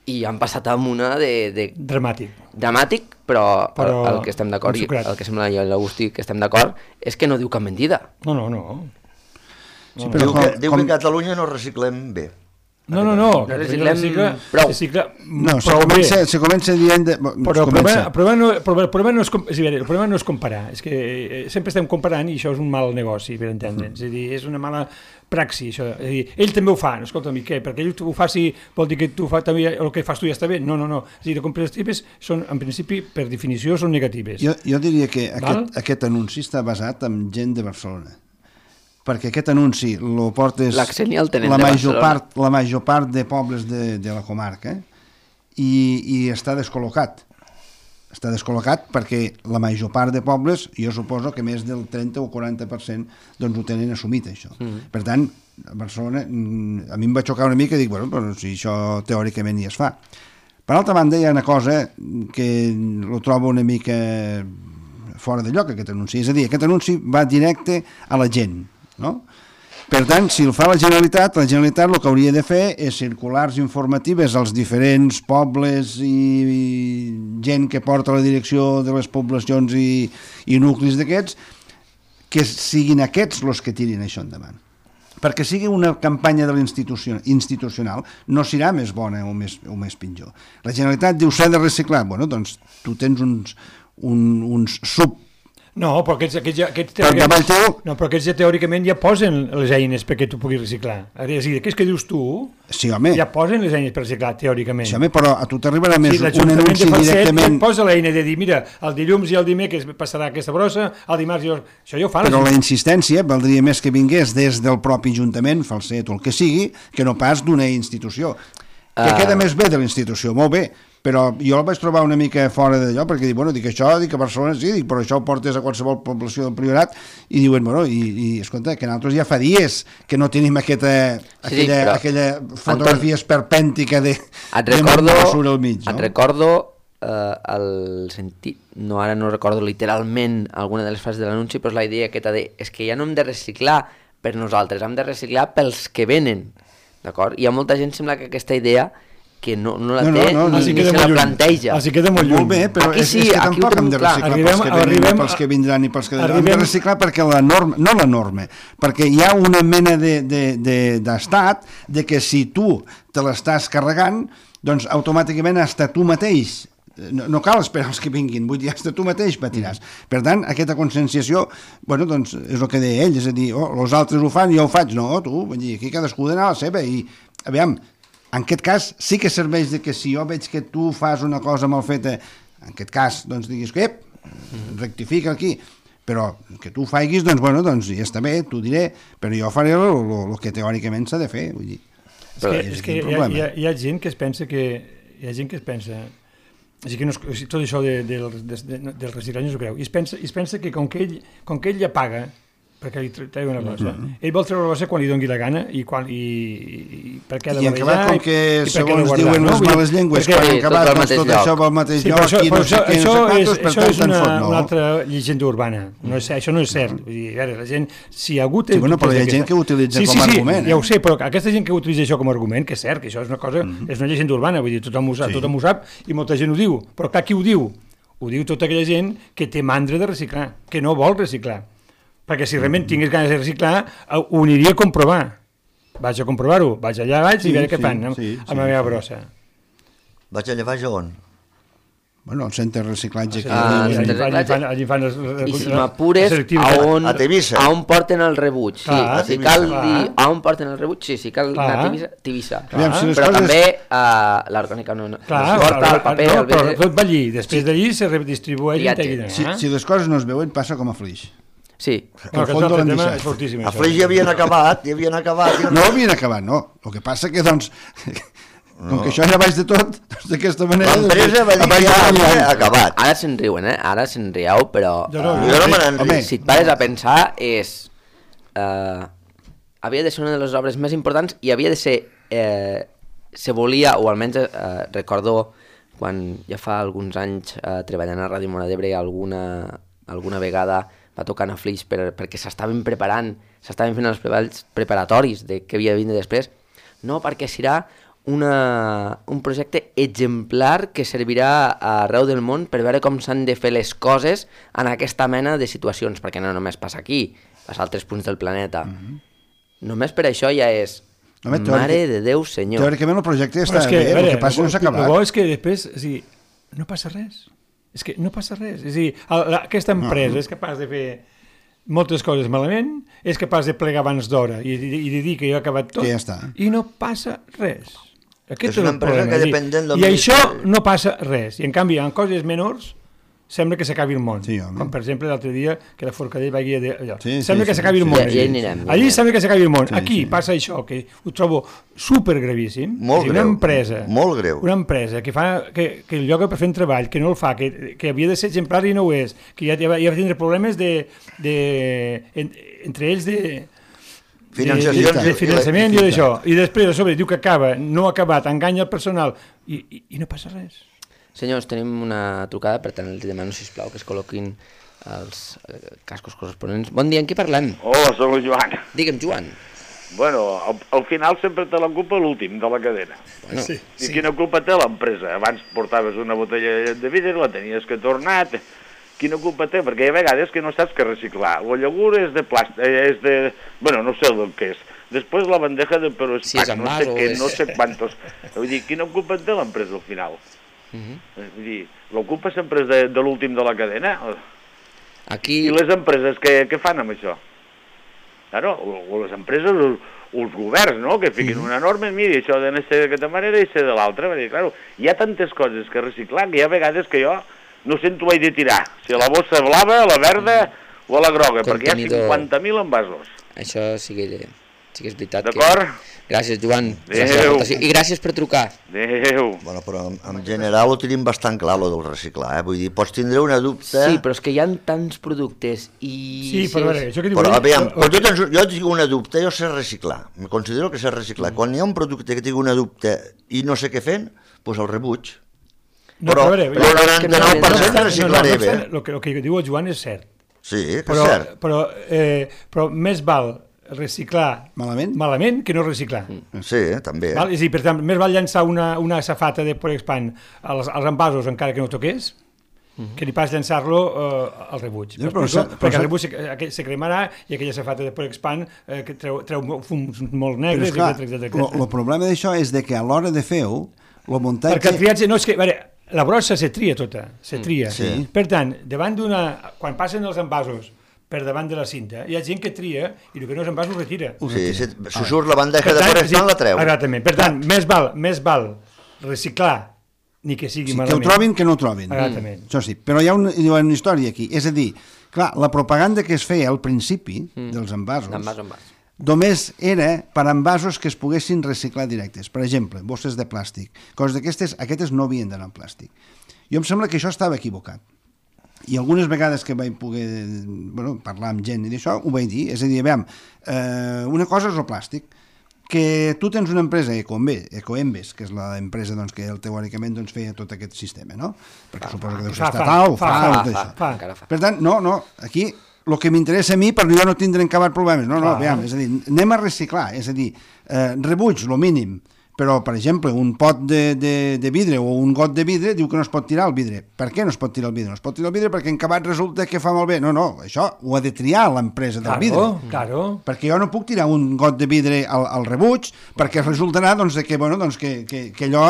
i han passat amb una de dramàtic, però el que estem d'acord, i el que sembla jo i l'Agustí que estem d'acord, és que no diu cap mentida. No. Sí, però diu que a Catalunya no reciclem bé. No, se comença dient... Però el problema no és comparar, és que sempre estem comparant i això és un mal negoci, per entendre'ns, és a dir, és una mala praxi, això, és a dir, ell també ho fa, escolta'm, i què? Perquè ell ho faci, vol dir que tu també el que fas tu ja està bé? No, és a dir, les comparatives són, en principi, per definició, són negatives. Jo diria que aquest anunci està basat en gent de Barcelona, perquè aquest anunci lo portes la major part de pobles de la comarca i està descol·locat. Està descol·locat perquè la major part de pobles, jo suposo que més del 30 o 40% doncs ho tenen assumit, això. Per tant, a Barcelona, a mi em va xocar una mica i dic, bueno, però si això teòricament ja es fa. Per altra banda, hi ha una cosa que lo trobo una mica fora de lloc, aquest anunci. És a dir, aquest anunci va directe a la gent, no? Per tant, si el fa la Generalitat el que hauria de fer és circulars informatives als diferents pobles i gent que porta la direcció de les poblacions i nuclis d'aquests, que siguin aquests els que tirin això endavant. Perquè sigui una campanya de institucional no serà més bona o més pitjor. La Generalitat diu s'ha de reciclar. Bueno, doncs tu tens uns No, però aquests teòricament ja posen les eines perquè tu puguis reciclar. És a dir, aquests que dius tu ja posen les eines per reciclar, teòricament. Sí, home, però a tu t'arribarà més un anunci directament... Posa l'eina de dir, mira, el dilluns i el dimecres passarà aquesta brossa, el dimarts això ja ho fan. Però la insistència valdria més que vingués des del propi Ajuntament, Falset o el que sigui, que no pas d'una institució. Que queda més bé de la institució, molt bé, però jo el vaig trobar una mica fora d'allò, perquè dic a Barcelona sí, però això ho portes a qualsevol població del Priorat, i diuen, bueno, escolta, que nosaltres ja fa dies que no tenim aquella fotografia esperpèntica de basura al mig, no? Et recordo el sentit, ara no recordo literalment alguna de les frases de l'anunci, però és la idea aquesta de, és que ja no hem de reciclar per nosaltres, hem de reciclar pels que venen, d'acord? Hi ha molta gent, sembla que aquesta idea que no la té ni se la planteja. Així queda molt lluny. Molt bé, però és que tampoc hem de reciclar pels que venen, pels que vindran i pels que... Hem de reciclar perquè la norma, perquè hi ha una mena d'estat de que si tu te l'estàs carregant, doncs automàticament hasta tu mateix no cal esperar els que vinguin, vull dir, hasta tu mateix patiràs. Per tant, aquesta conscienciació, bueno, doncs, és el que deia ell, és a dir, els altres ho fan i jo ho faig, no, tu, vull dir, aquí cadascú d'anar a la seva, i, aviam, en aquest cas sí que serveix de que si jo veig que tu fas una cosa mal feta, en aquest cas, doncs, diguis que, rectifica aquí, però que tu ho faiguis, doncs, bueno, doncs, ja està bé, t'ho diré, però jo faré el que teòricament s'ha de fer, vull dir. És que hi ha gent que es pensa que... Hi ha gent que es pensa... Així que no, tot això del reciclatge no s'ho creu. I es pensa que com que ell ja paga perquè li treu una cosa, ell vol treure la cosa quan li doni la gana i per què ha de barrejar... I com que, segons diuen les males llengües, quan han acabat doncs, tot això pel mateix lloc, aquí no sé què, no sé quantos, per tant te'n fot, no? Una altra llegenda urbana. Això no és cert. Vull dir, a veure, la gent, si hi ha hagut... Sí, bueno, però hi ha gent que ho utilitza com a argument. Sí, ja ho sé, però aquesta gent que utilitza això com a argument, que és cert, que això és una cosa, és una llegenda urbana, vull dir, tothom ho sap i molta gent ho diu. Però clar, qui ho diu? Ho diu tota aquella gent que té mandra de reciclar, que no vol reciclar. Perquè si realment tingués ganes de reciclar, ho aniria a comprovar. Vaig a comprovar-ho, vaig allà baix i veure què fan amb la meva brossa. Vaig allà baix on? Bueno, el centre de reciclatge. Allí fan i si m'apures, a Tivissa. A on porten el rebuig. Si cal dir a on porten el rebuig, si cal anar a Tivissa. Però també l'orgànica no porta el paper. Però tot va allí, després d'allí se redistribueix. Si les coses no es veuen, passa com a Flix. Sí. És fortíssim. A Flix ja havien acabat. No havien acabat, no. El que passa que, doncs, com que això era baix de tot, d'aquesta manera... L'empresa va dir que ja havia acabat. Ara se'n riuen, Ara se'n rieu, però... Jo no me n'enric. Si et pares a pensar, havia de ser una de les obres més importants i havia de ser... Se volia, o almenys recordo quan ja fa alguns anys treballant a Ràdio Móra d'Ebre alguna vegada va tocar a Flix perquè s'estaven preparant, s'estaven fent els treballs preparatoris de què havia de vindre després. No, perquè serà un projecte exemplar que servirà arreu del món per veure com s'han de fer les coses en aquesta mena de situacions, perquè no només passa aquí, passa a altres punts del planeta. Només per això ja és... Mare de Déu, senyor. Teòricament el projecte està bé, el que passa no s'ha acabat. El bo és que després, no passa res. És que no passa res. És a dir, aquesta empresa és capaç de fer moltes coses malament, és capaç de plegar abans d'hora i de dir que ja ha acabat tot, i no passa res. Aquest és una empresa que dependent del... I això no passa res. I en canvi, en coses menors, sembla que s'acabi el món. Com per exemple l'altre dia que la Forcadell va guiar allò. Sembla que s'acabi el món. Allí sembla que s'acabi el món. Aquí passa això, que ho trobo supergravíssim. Molt greu. Una empresa, molt greu. Una empresa que el lloga per fer un treball, que no el fa, que havia de ser exemplar i no ho és, que ja va tindre problemes entre ells de finançament i d'això. I després a sobre diu que acaba, no ha acabat, enganya el personal i no passa res. Senyors, tenim una trucada, per tant els demano, sisplau, que es col·loquin els cascos corresponents. Bon dia, amb qui parlem? Hola, soc el Joan. Digue'm, Joan. Bueno, al final sempre te la culpa l'últim de la cadena. Bueno, I quina culpa té l'empresa? Abans portaves una botella de vidre, la tenies que tornar... Quina culpa té? Perquè hi ha vegades que no saps què reciclar. La llegura és de plàstic, bueno, no sé el que és. Després la bandeja de peroxpac, no sé què, no sé quantos. Vull dir, quina culpa té l'empresa al final? Vull dir, la culpa sempre és de l'últim de la cadena. Aquí... I les empreses què fan amb això? Claro, o les empreses, els governs, no?, que fiquin una norma, mira, això ha d'anar d'aquesta manera i ser de l'altra. Claro, hi ha tantes coses que reciclar que hi ha vegades que jo no sé on t'ho vaig de tirar, si a la bossa blava, a la verda o a la groga, perquè hi ha 50.000 envasos. Això sí que és veritat. D'acord? Gràcies, Joan. Adéu. I gràcies per trucar. Adéu. Bueno, però en general ho tenim bastant clar, lo del reciclar. Vull dir, pots tindre una dubte... Sí, però és que hi ha tants productes i... Sí, però a veure, això que diu... Però, aviam, jo tinc una dubte, jo sé reciclar. Me considero que sé reciclar. Quan hi ha un producte que tinc una dubte i no sé què fent, doncs el rebuig. Però el 99% reciclaré bé. El que diu el Joan és cert. Sí, que és cert. Però més val reciclar malament que no reciclar. Sí, també. És a dir, per tant, més val llançar una safata de Porexpan als envasos encara que no toqués, que ni pas llançar-lo al rebuig. Perquè el rebuig se cremarà i aquella safata de Porexpan que treu fums molt negres, etc. El problema d'això és que a l'hora de fer-ho, el muntatge... Perquè el triatge... No, és que... la brossa se tria tota, se tria. sí. Per tant, davant d'una... Quan passen els envasos per davant de la cinta, hi ha gent que tria i el que no és envàs ho retira. Sí, si surt la bandeja de forestal la treu. Exactament. Per tant, més val reciclar ni que sigui Que malament. ho trobin, que no ho trobin. Exactament. Això sí, però hi ha una història aquí. És a dir, clar, la propaganda que es feia al principi dels envasos Envàs. només era per envasos que es poguessin reciclar directes. Per exemple, bosses de plàstic. Coses d'aquestes, aquestes no havien d'anar en plàstic. Jo em sembla que això estava equivocat. I algunes vegades que vaig poder parlar amb gent i d'això, ho vaig dir. És a dir, veiem, una cosa és el plàstic, que tu tens una empresa, Ecoembes, que és l'empresa que teòricament feia tot aquest sistema, no? Perquè suposo que deu ser estatal, fa. Per tant, no, aquí el que m'interessa a mi, per jo no tindre acabat problemes. No, veiem, és a dir, anem a reciclar, és a dir, rebuig, lo mínim, però, per exemple, un pot de vidre o un got de vidre diu que no es pot tirar el vidre. Per què no es pot tirar el vidre? No es pot tirar el vidre perquè en acabat resulta que fa malbé. No, això ho ha de triar l'empresa del vidre. Claro. Perquè jo no puc tirar un got de vidre al rebuig perquè resultarà que allò...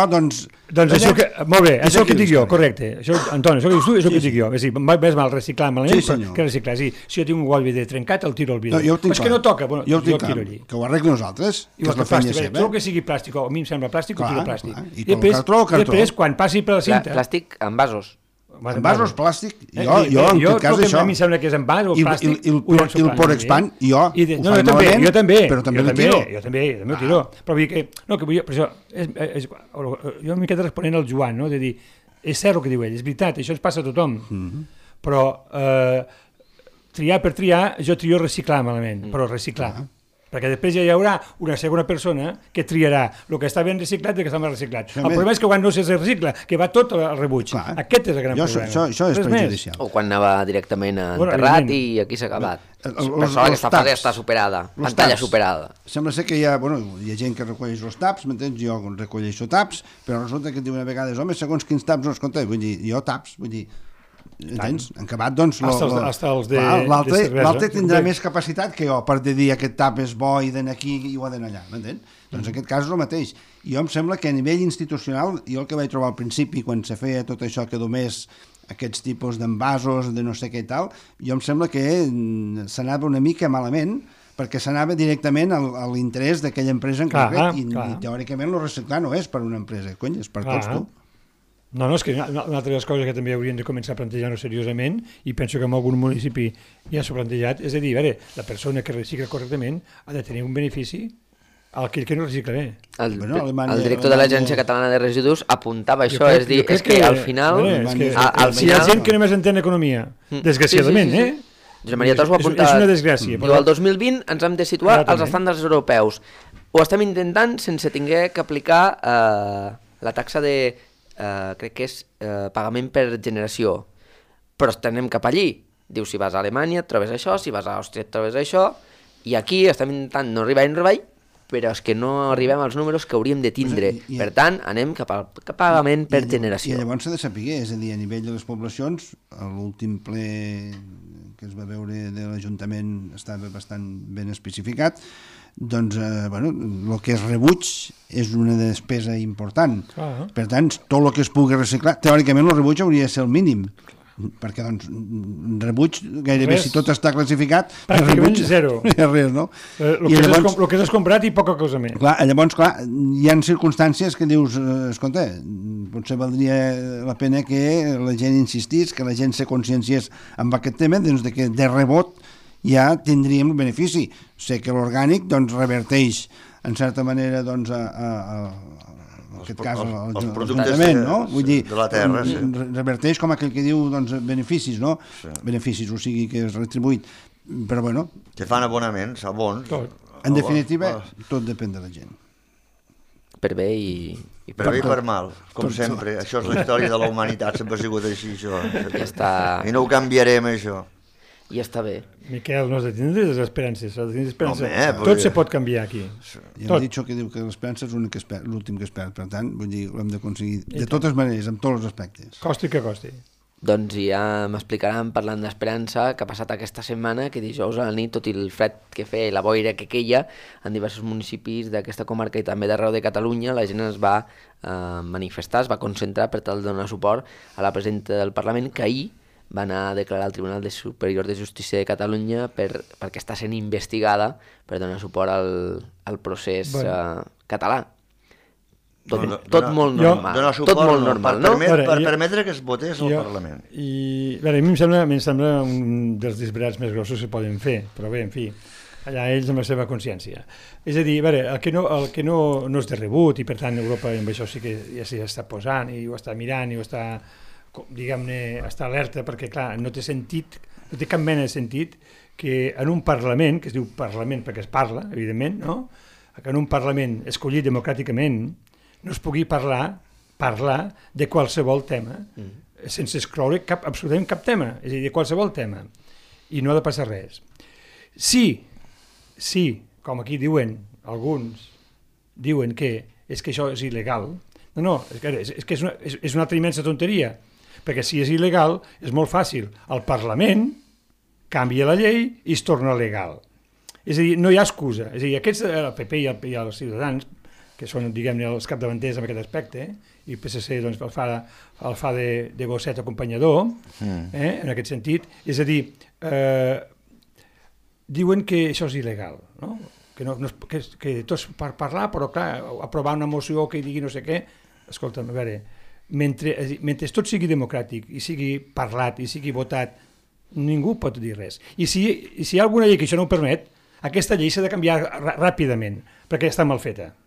Doncs això que... Molt bé, això que dic jo, correcte. Antoni, això que dius tu és el que dic jo. És a dir, més mal reciclar malament que reciclar. És a dir, si jo tinc un got de vidre trencat, el tiro al vidre. És que no toca, jo el tiro allí. Que ho arregli nosaltres, que és la feina seva. Tot el que sigui plàstic, a mi em sembla plàstic, ho tiro plàstic. I tot el cartró. Després, quan passi per la cinta... Plàstic en vasos. En vasos plàstic, jo en tot cas això... A mi em sembla que és en vas o plàstic... I el Porexpan, jo ho faig malament, però també el tiro. Jo també ho tiro. Però vull dir que... Per això, jo una miqueta responent al Joan, no? De dir, és cert el que diu ell, és veritat, això ens passa a tothom. Però triar per triar, jo trio reciclar malament, però reciclar. Perquè després ja hi haurà una segona persona que triarà el que està ben reciclat i el que està mal reciclat. El problema és que quan no se recicla, que va tot al rebuig. Aquest és el gran problema. Això és perjudicial. O quan anava directament enterrat i aquí s'ha acabat. Per això aquesta fase està superada, pantalla superada. Sembla ser que hi ha gent que recolleix els taps, m'entens? Jo recolleixo taps, però resulta que diu una vegada, home, segons quins taps no els compte, vull dir, jo taps, vull dir, entens? En acabat, doncs... L'altre tindrà més capacitat que jo per dir aquest tap és bo i d'anar aquí i ho ha d'anar allà, m'entens? Doncs en aquest cas és el mateix. Jo em sembla que a nivell institucional, jo el que vaig trobar al principi, quan se feia tot això que només aquests tipus d'envasos, de no sé què i tal, jo em sembla que s'anava una mica malament, perquè s'anava directament a l'interès d'aquella empresa en concret, i teòricament el reciclar no és per una empresa, cony, és per tots tu. No, és que una altra de les coses que també haurien de començar a plantejar-ho seriosament, i penso que en algun municipi ja s'ha plantejat, és a dir, la persona que recicla correctament ha de tenir un benefici al que no recicla bé. El director de l'Agència Catalana de Residus apuntava això, és dir, és que al final... Si hi ha gent que només entén economia, desgraciadament, Josep Maria Tos ho ha apuntat. És una desgràcia. Diu, el 2020 ens hem de situar als estàndards europeus. Ho estem intentant sense haver d'aplicar la taxa de... crec que és pagament per generació, però anem cap allí. Diu, si vas a Alemanya et trobes això, si vas a Àustria et trobes això, i aquí estem intentant no arribar, però és que no arribem als números que hauríem de tindre. Per tant, anem cap al pagament per generació. I llavors s'ha de saber, és a dir, a nivell de les poblacions, l'últim ple que es va veure de l'Ajuntament estava bastant ben especificat, doncs, el que és rebuig és una despesa important. Per tant, tot el que es pugui reciclar, teòricament el rebuig hauria de ser el mínim, perquè, doncs, rebuig, gairebé si tot està classificat, pràcticament zero. Res, no? El que has comprat i poca cosa més. Llavors, hi ha circumstàncies que dius, escolta, potser valdria la pena que la gent insistís, que la gent se conscienciés amb aquest tema, doncs, que de rebot ja tindríem el benefici. Sé que l'orgànic reverteix en certa manera en aquest cas els productes de la terra, reverteix com aquell que diu beneficis, no? Beneficis, o sigui que és retribuït, però bueno, que fan abonaments, abons. En definitiva, tot depèn de la gent. Per bé i per bé i per mal, com sempre. Això és la història de la humanitat, sempre ha sigut així, això. I no ho canviarem, això. I està bé. Miquel, no has de tindre les esperances. Tot se pot canviar aquí. Ja m'ha dit que diu que l'esperança és l'últim que es perd. Per tant, vull dir, ho hem d'aconseguir de totes maneres, en tots els aspectes. Costi que costi. Doncs ja m'explicaran, parlant d'esperança, que ha passat aquesta setmana, que dijous a la nit, tot i el fred que feia i la boira que queia, en diversos municipis d'aquesta comarca i també d'arreu de Catalunya, la gent es va manifestar, es va concentrar per tal de donar suport a la presidenta del Parlament, que ahir va anar a declarar al Tribunal Superior de Justícia de Catalunya perquè està sent investigada per donar suport al procés català. Tot molt normal. Donar suport, tot molt normal, no? Per permetre que es votés al Parlament. I a mi em sembla un dels disbarats més grossos que poden fer, però bé, en fi, allà ells amb la seva consciència. És a dir, el que no és de rebut, i per tant Europa amb això sí que ja s'hi està posant i ho està mirant i ho està, diguem-ne, està alerta, perquè clar, no té sentit, no té cap mena de sentit que en un Parlament, que es diu Parlament perquè es parla, evidentment, no? Que en un Parlament escollit democràticament no es pugui parlar de qualsevol tema, sense excloure absolutament cap tema, és a dir, de qualsevol tema, i no ha de passar res. Sí, com aquí diuen, alguns diuen que és que això és il·legal, és que és una altra immensa tonteria, perquè si és il·legal és molt fàcil, el Parlament canvia la llei i es torna legal. És a dir, no hi ha excusa, és a dir, aquests, el PP i els Ciutadans, que són, diguem-ne, els capdavanters en aquest aspecte, i el PSC doncs, el fa de gosset acompanyador, en aquest sentit. És a dir, diuen que això és il·legal, no? Que tots per parlar, però clar, aprovar una moció que digui no sé què, escolta'm, a veure, mentre tot sigui democràtic i sigui parlat i sigui votat, ningú pot dir res. I si hi ha alguna llei que això no ho permet, aquesta llei s'ha de canviar ràpidament, perquè està mal feta.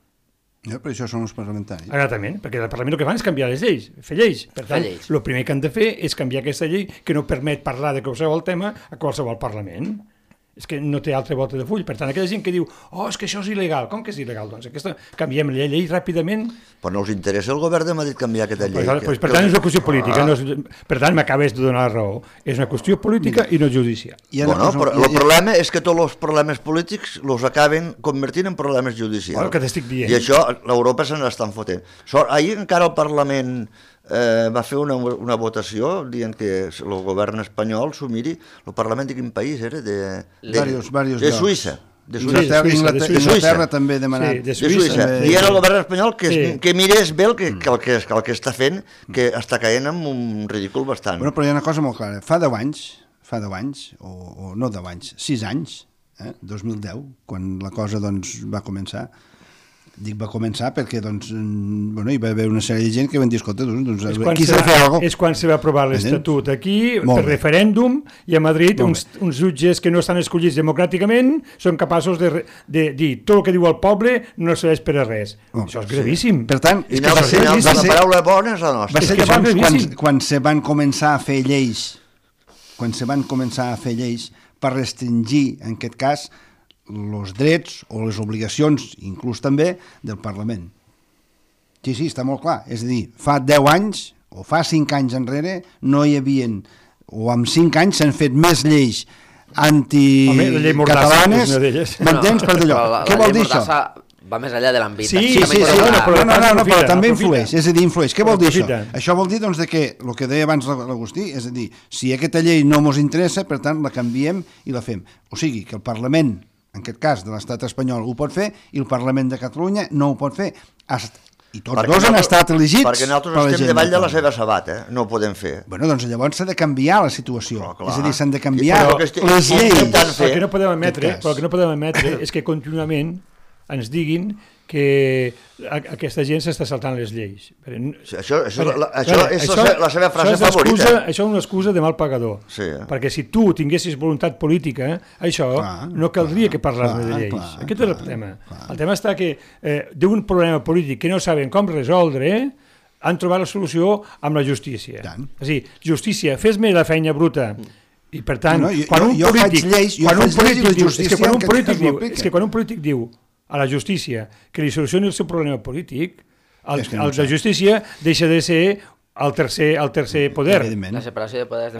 Però això són els parlamentaris. Exactament, perquè el Parlament el que fan és canviar les lleis, fer lleis. Per tant, el primer que han de fer és canviar aquesta llei que no permet parlar de qualsevol tema a qualsevol Parlament. És que no té altra volta de full. Per tant, aquella gent que diu, és que això és il·legal. Com que és il·legal? Doncs canviem la llei ràpidament. Però no us interessa el govern de Madrid canviar aquesta llei? Per tant, és una qüestió política. Per tant, m'acabes de donar la raó. És una qüestió política i no judicial. Bueno, però el problema és que tots els problemes polítics els acaben convertint en problemes judicials. El que t'estic dient. I això, l'Europa se n'estan fotent. Ahir encara el Parlament va fer una votació dient que el govern espanyol s'ho miri. El Parlament de quin país era? De Suïssa. De Inglaterra també demanat. De Suïssa. I era el govern espanyol que mirés bé el que està fent, que està caient en un ridícul bastant. Però hi ha una cosa molt clara. Fa 10 anys, o no 10 anys, 6 anys, 2010, quan la cosa va començar. Dic va començar perquè hi va haver una sèrie de gent que van dir, escolta, aquí s'ha de fer alguna cosa. És quan se va aprovar l'Estatut aquí, per referèndum, i a Madrid uns jutges que no estan escollits democràticament són capaços de dir tot el que diu el poble no serveix per a res. Això és gravíssim. Per tant, la paraula bona és la nostra. Va ser llavors quan se van començar a fer lleis, per restringir, en aquest cas, els drets o les obligacions, inclús també, del Parlament. Sí, està molt clar. És a dir, fa 10 anys o fa 5 anys enrere no hi havien, o en 5 anys s'han fet més lleis anticatalanes, m'entens, per d'allò. Què vol dir això? Va més enllà de l'àmbit. Sí, però també influeix. És a dir, influeix. Què vol dir això? Això vol dir que el que deia abans l'Agustí, és a dir, si aquesta llei no ens interessa, per tant, la canviem i la fem. O sigui, que el Parlament, en aquest cas de l'estat espanyol, ho pot fer i el Parlament de Catalunya no ho pot fer. I tots dos han estat elegits perquè nosaltres estem davall de la seva sabata, no ho podem fer. Bueno, doncs llavors s'ha de canviar la situació. És a dir, s'han de canviar les lleis. El que no podem admetre és que contínuament ens diguin que aquesta gent s'està saltant les lleis. Això és la seva frase favorita. Això és una excusa de mal pagador. Perquè si tu tinguessis voluntat política, això no caldria que parlàs de lleis. Aquest és el tema. El tema està que d'un problema polític que no saben com resoldre, han trobat la solució amb la justícia. És a dir, justícia, fes-me la feina bruta. I per tant, quan un polític diu a la justícia que li solucioni el seu problema polític, el de justícia deixa de ser el tercer poder. La separació de poders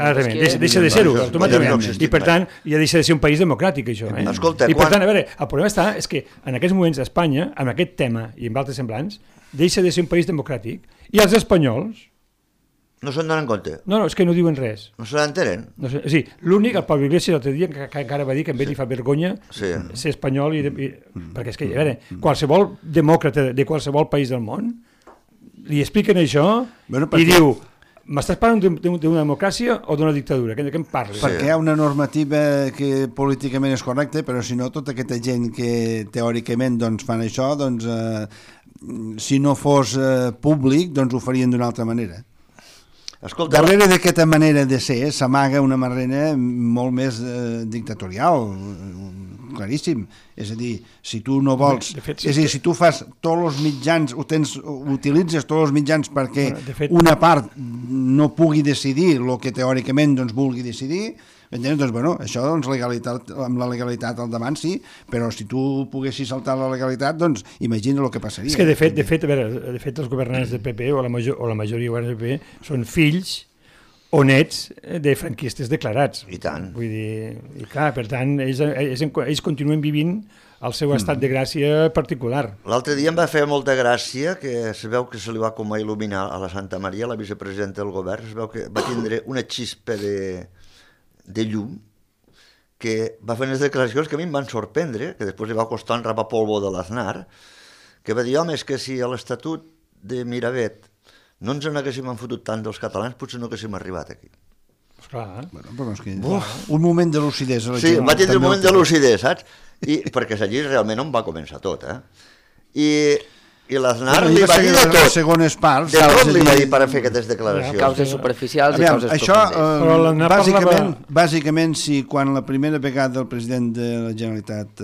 deixa de ser-ho automàticament. I per tant, ja deixa de ser un país democràtic, això. I per tant, a veure, el problema està és que en aquests moments Espanya, amb aquest tema i amb altres semblants, deixa de ser un país democràtic i els espanyols No se'n donen compte. No, és que no diuen res. No se l'entenen. No sé, sí, l'únic, el Pablo Iglesias l'altre dia, que encara va dir que a ell li fa vergonya ser espanyol, perquè és que, a veure, qualsevol demòcrata de qualsevol país del món li expliquen això i diu, m'estàs parlant d'una democràcia o d'una dictadura? De què em parles? Perquè hi ha una normativa que políticament és correcta, però si no, tota aquesta gent que teòricament doncs, fan això, doncs, si no fos públic, doncs ho farien d'una altra manera. Escolta, darrere d'aquesta manera de ser s'amaga una manera molt més dictatorial, claríssim. És a dir, si tu no vols... fet, és a dir, si tu fas tots els mitjans, utilitzes tots els mitjans perquè una part no pugui decidir el que teòricament doncs, vulgui decidir, doncs, bueno, això doncs, legalitat, amb la legalitat al davant sí, però si tu poguessis saltar la legalitat, doncs imagina el que passaria. És que de fet els governants del PP o la majoria de governants del PP són fills o nets de franquistes declarats. I tant. Vull dir, i clar, per tant, ells continuen vivint el seu estat de gràcia particular. L'altre dia em va fer molta gràcia que es veu que se li va com a il·luminar a la Santa Maria, la vicepresidenta del govern, es veu que va tindre una xispa de llum que va fer unes declaracions que a mi em van sorprendre, que després li va costar un rapapolvo de l'Aznar, que va dir, home, és que si a l'Estatut de Miravet no ens n'haguéssim enfotut tant dels catalans, potser no haguéssim arribat aquí. Esclar. Bueno, però és que un moment de lucidesa. Sí, va tindre un moment de lucidesa, saps? Perquè allí realment on va començar tot, I l'Aznar li va dir de tot. Segones parts. De tot li va dir per fer aquestes declaracions. Causes superficials i causes profundes. Això, bàsicament, si quan la primera vegada el president de la Generalitat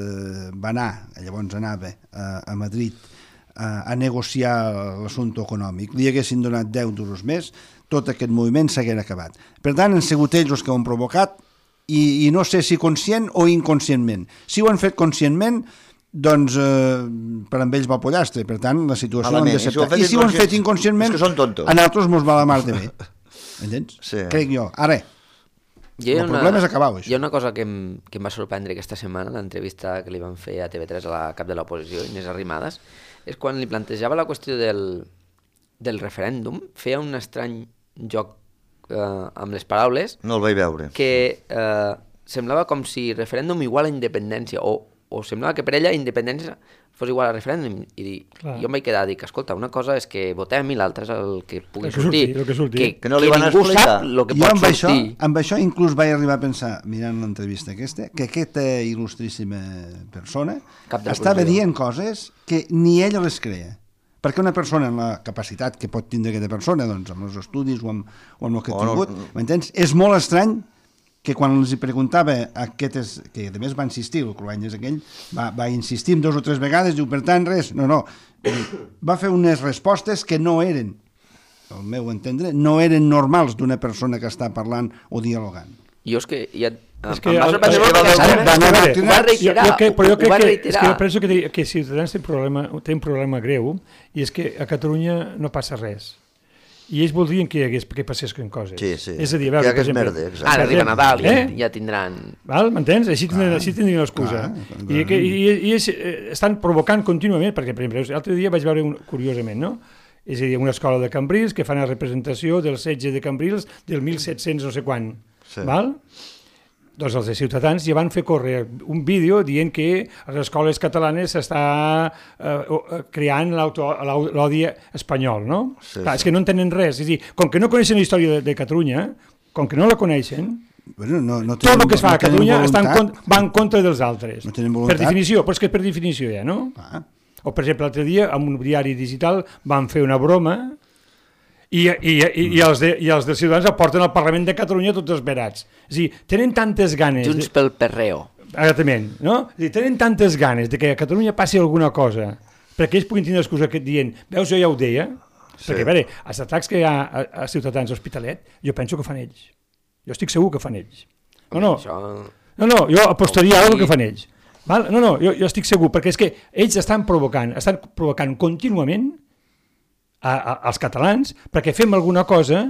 va anar, llavors anava a Madrid, a negociar l'assumpte econòmic, li haguessin donat 10 duros més, tot aquest moviment s'haguera acabat. Per tant, han sigut ells els que ho han provocat i no sé si conscient o inconscientment. Si ho han fet conscientment, doncs per amb ells va pollastre, per tant la situació l'hem d'acceptar. I si ho han fet inconscientment, a nosaltres mos va la mar de bé. Entens? Sí. Crec jo. Ara, el problema és acabar això. Hi ha una cosa que em va sorprendre aquesta setmana, l'entrevista que li van fer a TV3 a la cap de l'oposició, Inés Arrimadas, és quan li plantejava la qüestió del referèndum, feia un estrany joc amb les paraules. No el vaig veure. Que semblava com si referèndum igual a independència, o semblava que per ella independència fos igual a referèndum, i jo em vaig quedar a dir que, escolta, una cosa és que votem i l'altra és el que pugui sortir. Que no li van ningú explicar. sap el que pot sortir. Amb això inclús vaig arribar a pensar, mirant l'entrevista aquesta, que aquesta il·lustríssima persona estava dient coses que ni ella les creia. Perquè una persona amb la capacitat que pot tindre aquesta persona, doncs amb els estudis o amb el que ha tingut, m'entens? És molt estrany que quan els preguntava aquestes, que a més va insistir, el Cruanyes aquell, va insistir 2 o 3 vegades, diu, per tant, res, no, va fer unes respostes que no eren, al meu entendre, no eren normals d'una persona que està parlant o dialogant. Jo és que ja... És que jo penso que Ciutadans té un problema greu, i és que a Catalunya no passa res. I ells voldrien que passessin coses. Sí. És a dir, a veure, per exemple... Ara arriba Nadal i ja tindran... M'entens? Així tindrien l'excusa. I estan provocant contínuament, perquè, per exemple, l'altre dia vaig veure curiosament, no? És a dir, una escola de Cambrils que fa una representació del setge de Cambrils del 1700 no sé quan. Val? Doncs els de Ciutadans ja van fer córrer un vídeo dient que a les escoles catalanes s'està creant l'odi espanyol, no? Clar, és que no entenen res. És a dir, com que no coneixen la història de Catalunya, com que no la coneixen, tot el que es fa a Catalunya va en contra dels altres. Per definició, però és que per definició ja, no? O, per exemple, l'altre dia, en un diari digital, van fer una broma i els de Ciutadans el porten al Parlament de Catalunya tots esverats. És a dir, tenen tantes ganes... Junts pel perreo. Exactament, no? És a dir, tenen tantes ganes de que a Catalunya passi alguna cosa perquè ells puguin tindre l'excusa dient, veus, jo ja ho deia, perquè, a veure, els atacs que hi ha a Ciutadans a Hospitalet, jo penso que fan ells. Jo estic segur que fan ells. No, jo apostaria a alguna que fan ells. No, jo estic segur, perquè és que ells estan provocant contínuament als catalans perquè fem alguna cosa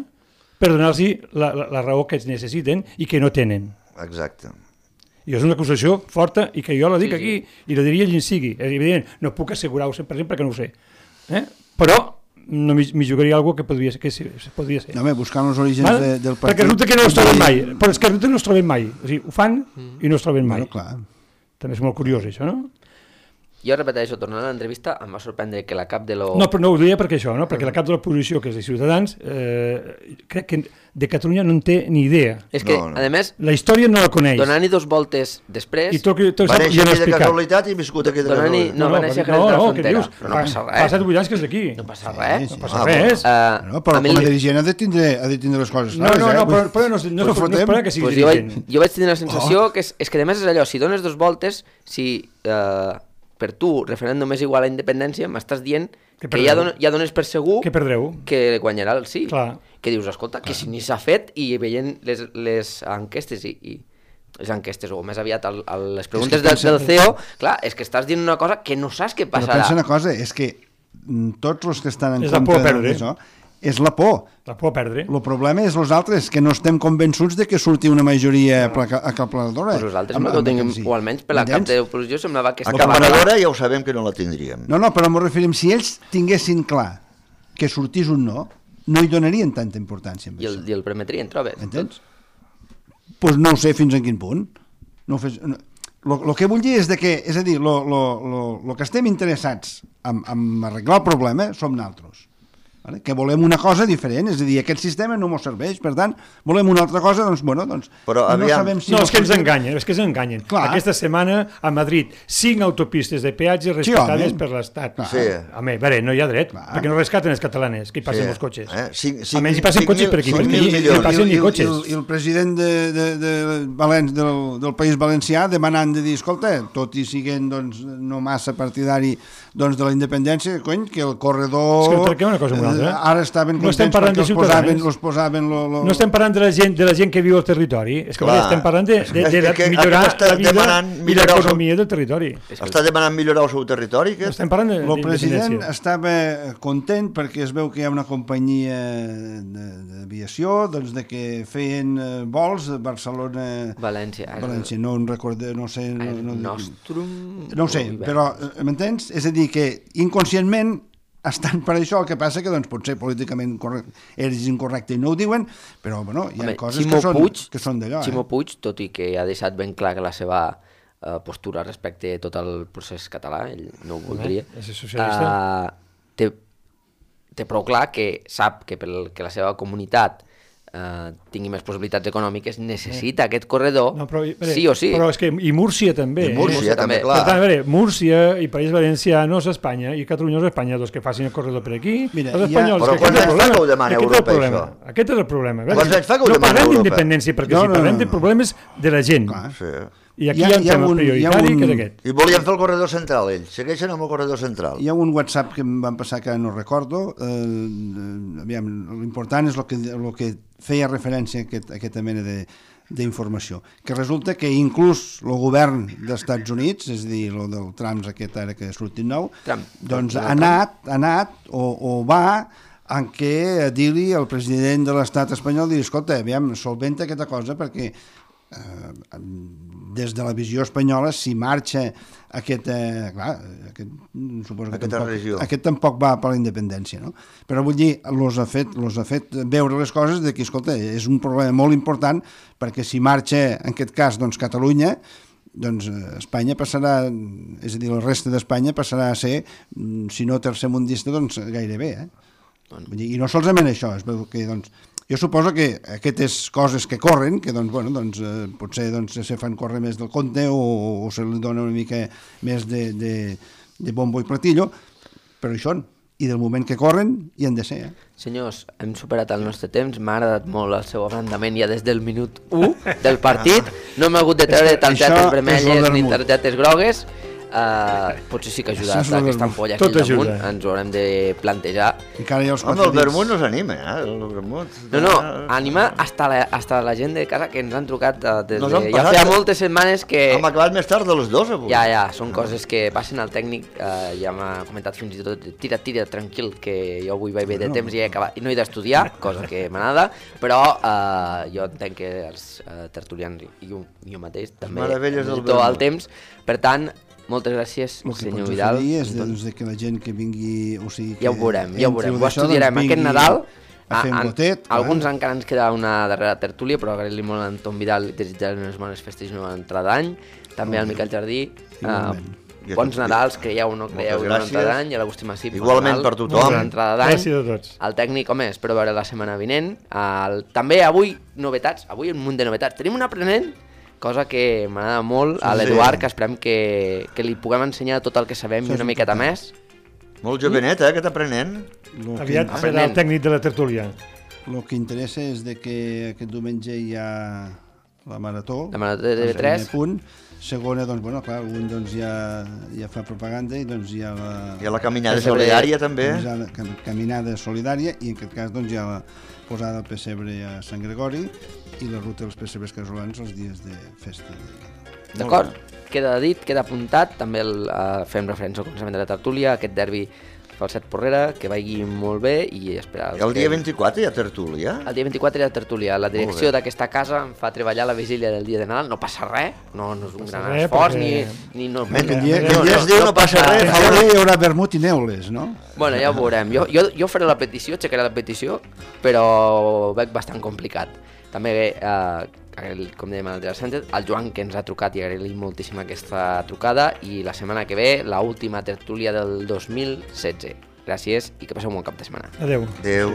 per donar-los la raó que ells necessiten i que no tenen. Exacte. I és una acusació forta i que jo la dic aquí i la diria allí sigui. És evident, no puc assegurar-ho 100% perquè no ho sé. Però no m'hi jugaria alguna que podria ser. No, home, buscant els orígens del partit... Perquè resulta que no els trobem mai, però és que resulta que no els trobem mai. O sigui, ho fan i no els trobem mai. Bueno, clar. També és molt curiós, això, no? Jo repeteixo, tornant a l'entrevista, em va sorprendre que la cap de lo... No, però no ho deia perquè això, no? Perquè la cap de l'oposició, que és de Ciutadans, crec que de Catalunya no en té ni idea. És que, a més, la història no la coneix. donant-hi 2 voltes després... I tot va néixer ja no aquí de casualitat i viscut aquí de casualitat. No, va néixer a Jerez de la Frontera, però no passa res. Fa 7 anys que és d'aquí. No passa res. No passa res. No, però com a dirigent ha de tindre les coses No, clares, però no és per que sigui Pues dirigent. jo vaig tenir la sensació que és que a més és allò, si dones 2 voltes, si per tu referèndum és igual a independència, m'estàs dient que ja dones per segur que perdreu, que guanyarà el sí. Clar. Que dius, escolta, que si ni s'ha fet i veient les enquestes i les enquestes, o més aviat les preguntes del CEO, clar, és que estàs dient una cosa que no saps què passarà. Però pensa una cosa, és que tots els que estan en És la por a contra perdre. d'això, és la por. La por a perdre. El problema és els altres, que no estem convençuts de que surti una majoria aclaparadora. Pues nosaltres no ho tinguem, o almenys per la cap de l'oposició semblava que Aclaparadora ja ho sabem que no la tindríem. No, però m'ho referim, si ells tinguessin clar que sortís un no hi donarien tanta importància amb i el permetrien, trobes? Entens? Doncs no ho sé fins en quin punt. El que vull dir és que, és a dir, el que estem interessats en arreglar el problema som nosaltres. Vale? Que volem una cosa diferent, és a dir, aquest sistema no ens serveix, per tant, volem una altra cosa, doncs, bueno, doncs, però, no sabem si... No, és que ens enganyen, és que ens enganyen. Clar. Aquesta setmana a Madrid, 5 autopistes de peatge respectades per l'Estat. Sí. Home, veure, no hi ha dret, perquè no rescaten els catalans, que hi passen els cotxes. Almenys hi passen cotxes per aquí, perquè hi passen ni cotxes. I el president del País Valencià demanant de dir, escolta, tot i siguent doncs, no massa partidari doncs, de la independència, cony, que el corredor... És que tractem una cosa molt altra. Ara estaven no estem contents perquè els posaven No estem parlant de la gent que viu al territori, és que estem parlant de millorar la vida i l'economia del territori. Està demanant millorar el seu territori? Estem parlant el president estava content perquè es veu que hi ha una companyia d'aviació doncs, de que feien vols a Barcelona... València, no en recordo, no sé... No ho sé, però m'entens? És a dir, que inconscientment estan per això, el que passa que doncs, potser políticament és incorrecte i no ho diuen, però bueno, hi ha coses que són d'allò. Ximo Puig, tot i que ha deixat ben clar que la seva postura respecte a tot el procés català, ell no ho voldria, té prou clar que sap que perquè la seva comunitat tingui més possibilitats econòmiques, necessita aquest corredor, sí o sí. Però és que, i Múrcia també. I Múrcia també, clar. Per tant, a veure, Múrcia i País Valenciano és Espanya, i Catalunya és Espanya, doncs que facin el corredor per aquí. Mira, els espanyols, però quants anys fa que ho demana Europa, això? Aquest és el problema. Quants anys fa que ho demana Europa? No parlem d'independència, perquè si parlem de problemes de la gent. I aquí hi ha un tema prioritari que és aquest. I volien fer el corredor central, ells. Segueixen amb el corredor central. Hi ha un WhatsApp que em van passar que no recordo. L'important és el que feia referència a aquesta mena d'informació. Que resulta que inclús el govern dels Estats Units, és a dir, el del Trump aquest ara que ha sortit nou, doncs ha anat o va en què dir-li al president de l'estat espanyol, dir, escolta, aviam, solventa aquesta cosa perquè des de la visió espanyola si marxa aquesta regió, aquest tampoc va per la independència, no? Però vull dir, los ha fet veure les coses de que, escolta, és un problema molt important perquè si marxa, en aquest cas, doncs Catalunya, doncs Espanya passarà, és a dir, la resta d'Espanya passarà a ser, si no tercermundista, doncs gairebé, I no solament això, es veu que, doncs, jo suposo que aquestes coses que corren, que doncs, bueno, doncs, potser doncs, se fan córrer més del compte o se li dona una mica més de bombo i platillo, però això, i del moment que corren, hi han de ser. Senyors, hem superat el nostre temps, m'ha agradat molt el seu abrandament ja des del minut 1 del partit, no hem hagut de treure targetes vermelles ni targetes grogues, potser sí que ha ajudat aquesta ampolla aquí damunt, ens ho haurem de plantejar. Home, el vermut no s'anima, el vermut. No, anima hasta la gent de casa que ens han trucat ja feia moltes setmanes que... Hem acabat més tard de les 2 avui. Ja, són coses que passen al tècnic, ja m'ha comentat fins i tot, tira, tranquil, que jo avui vaig bé de temps i no he d'estudiar, cosa que m'agrada, però jo entenc que els tertulians i jo mateix també necessito el temps, per tant, Moltes gràcies, El que senyor pots Vidal. oferir és doncs, de que la gent que vingui... O sigui, que Ja ho veurem, ja ho entri veurem. Ho d'això, estudiarem doncs, aquest vingui Nadal. a fer un gotet. clar. Alguns encara ens queda una darrera tertúlia, però agrair-li molt a Anton Vidal i desitjar unes bones festes i una bona entrada d'any. També al Miquel Jardí. Igualment. I a Bons tots. Nadals, creieu o no creieu, Moltes una gràcies. entrada d'any, i a l'Agustí Massip. bon Igualment Nadal, per tothom. bona entrada d'any. Gràcies a tots. El tècnic, home, espero veure la setmana vinent. També avui, novetats, avui un munt de novetats. Tenim un aprenent, cosa que m'agrada molt, a Sí. l'Eduard, que esperem que li puguem ensenyar tot el que sabem i Això és una miqueta important. més. Molt jovenet, aquest aprenent. Aviat serà Aprenent. el tècnic de la tertúlia. El que interessa és de que aquest diumenge hi ha la marató. La marató de primer TV3. punt. Segona, doncs, bueno, clar, un doncs, ja fa propaganda i doncs hi ha la... I a la caminada Pessebre. solidària també. Caminada solidària i en aquest cas doncs, hi ha la posada del pessebre a Sant Gregori i la ruta dels pessebres casolans els dies de festa. D'acord? Queda dit, queda apuntat, també fem referència al començament de la tertúlia, aquest derbi Falset Porrera, que vagi molt bé i esperar... El dia 24 hi ha tertúlia. El dia 24 hi ha tertúlia. La direcció Molt bé. d'aquesta casa em fa treballar la vigília del dia de Nadal. No passa res, no és un gran res, esforç, perquè- ni no... Mentre dia- que ja es diu no passa res. A veure, hi haurà vermut i neules, no? Bueno, ja ho veurem. Jo faré la petició, aixecaré la petició, però veig bastant complicat. També, com dèiem a l'Andrea Sánchez, el Joan, que ens ha trucat, i agrair-li moltíssim aquesta trucada, i la setmana que ve, l'última tertúlia del 2016. Gràcies i que passeu un bon cap de setmana. Adéu. Adéu.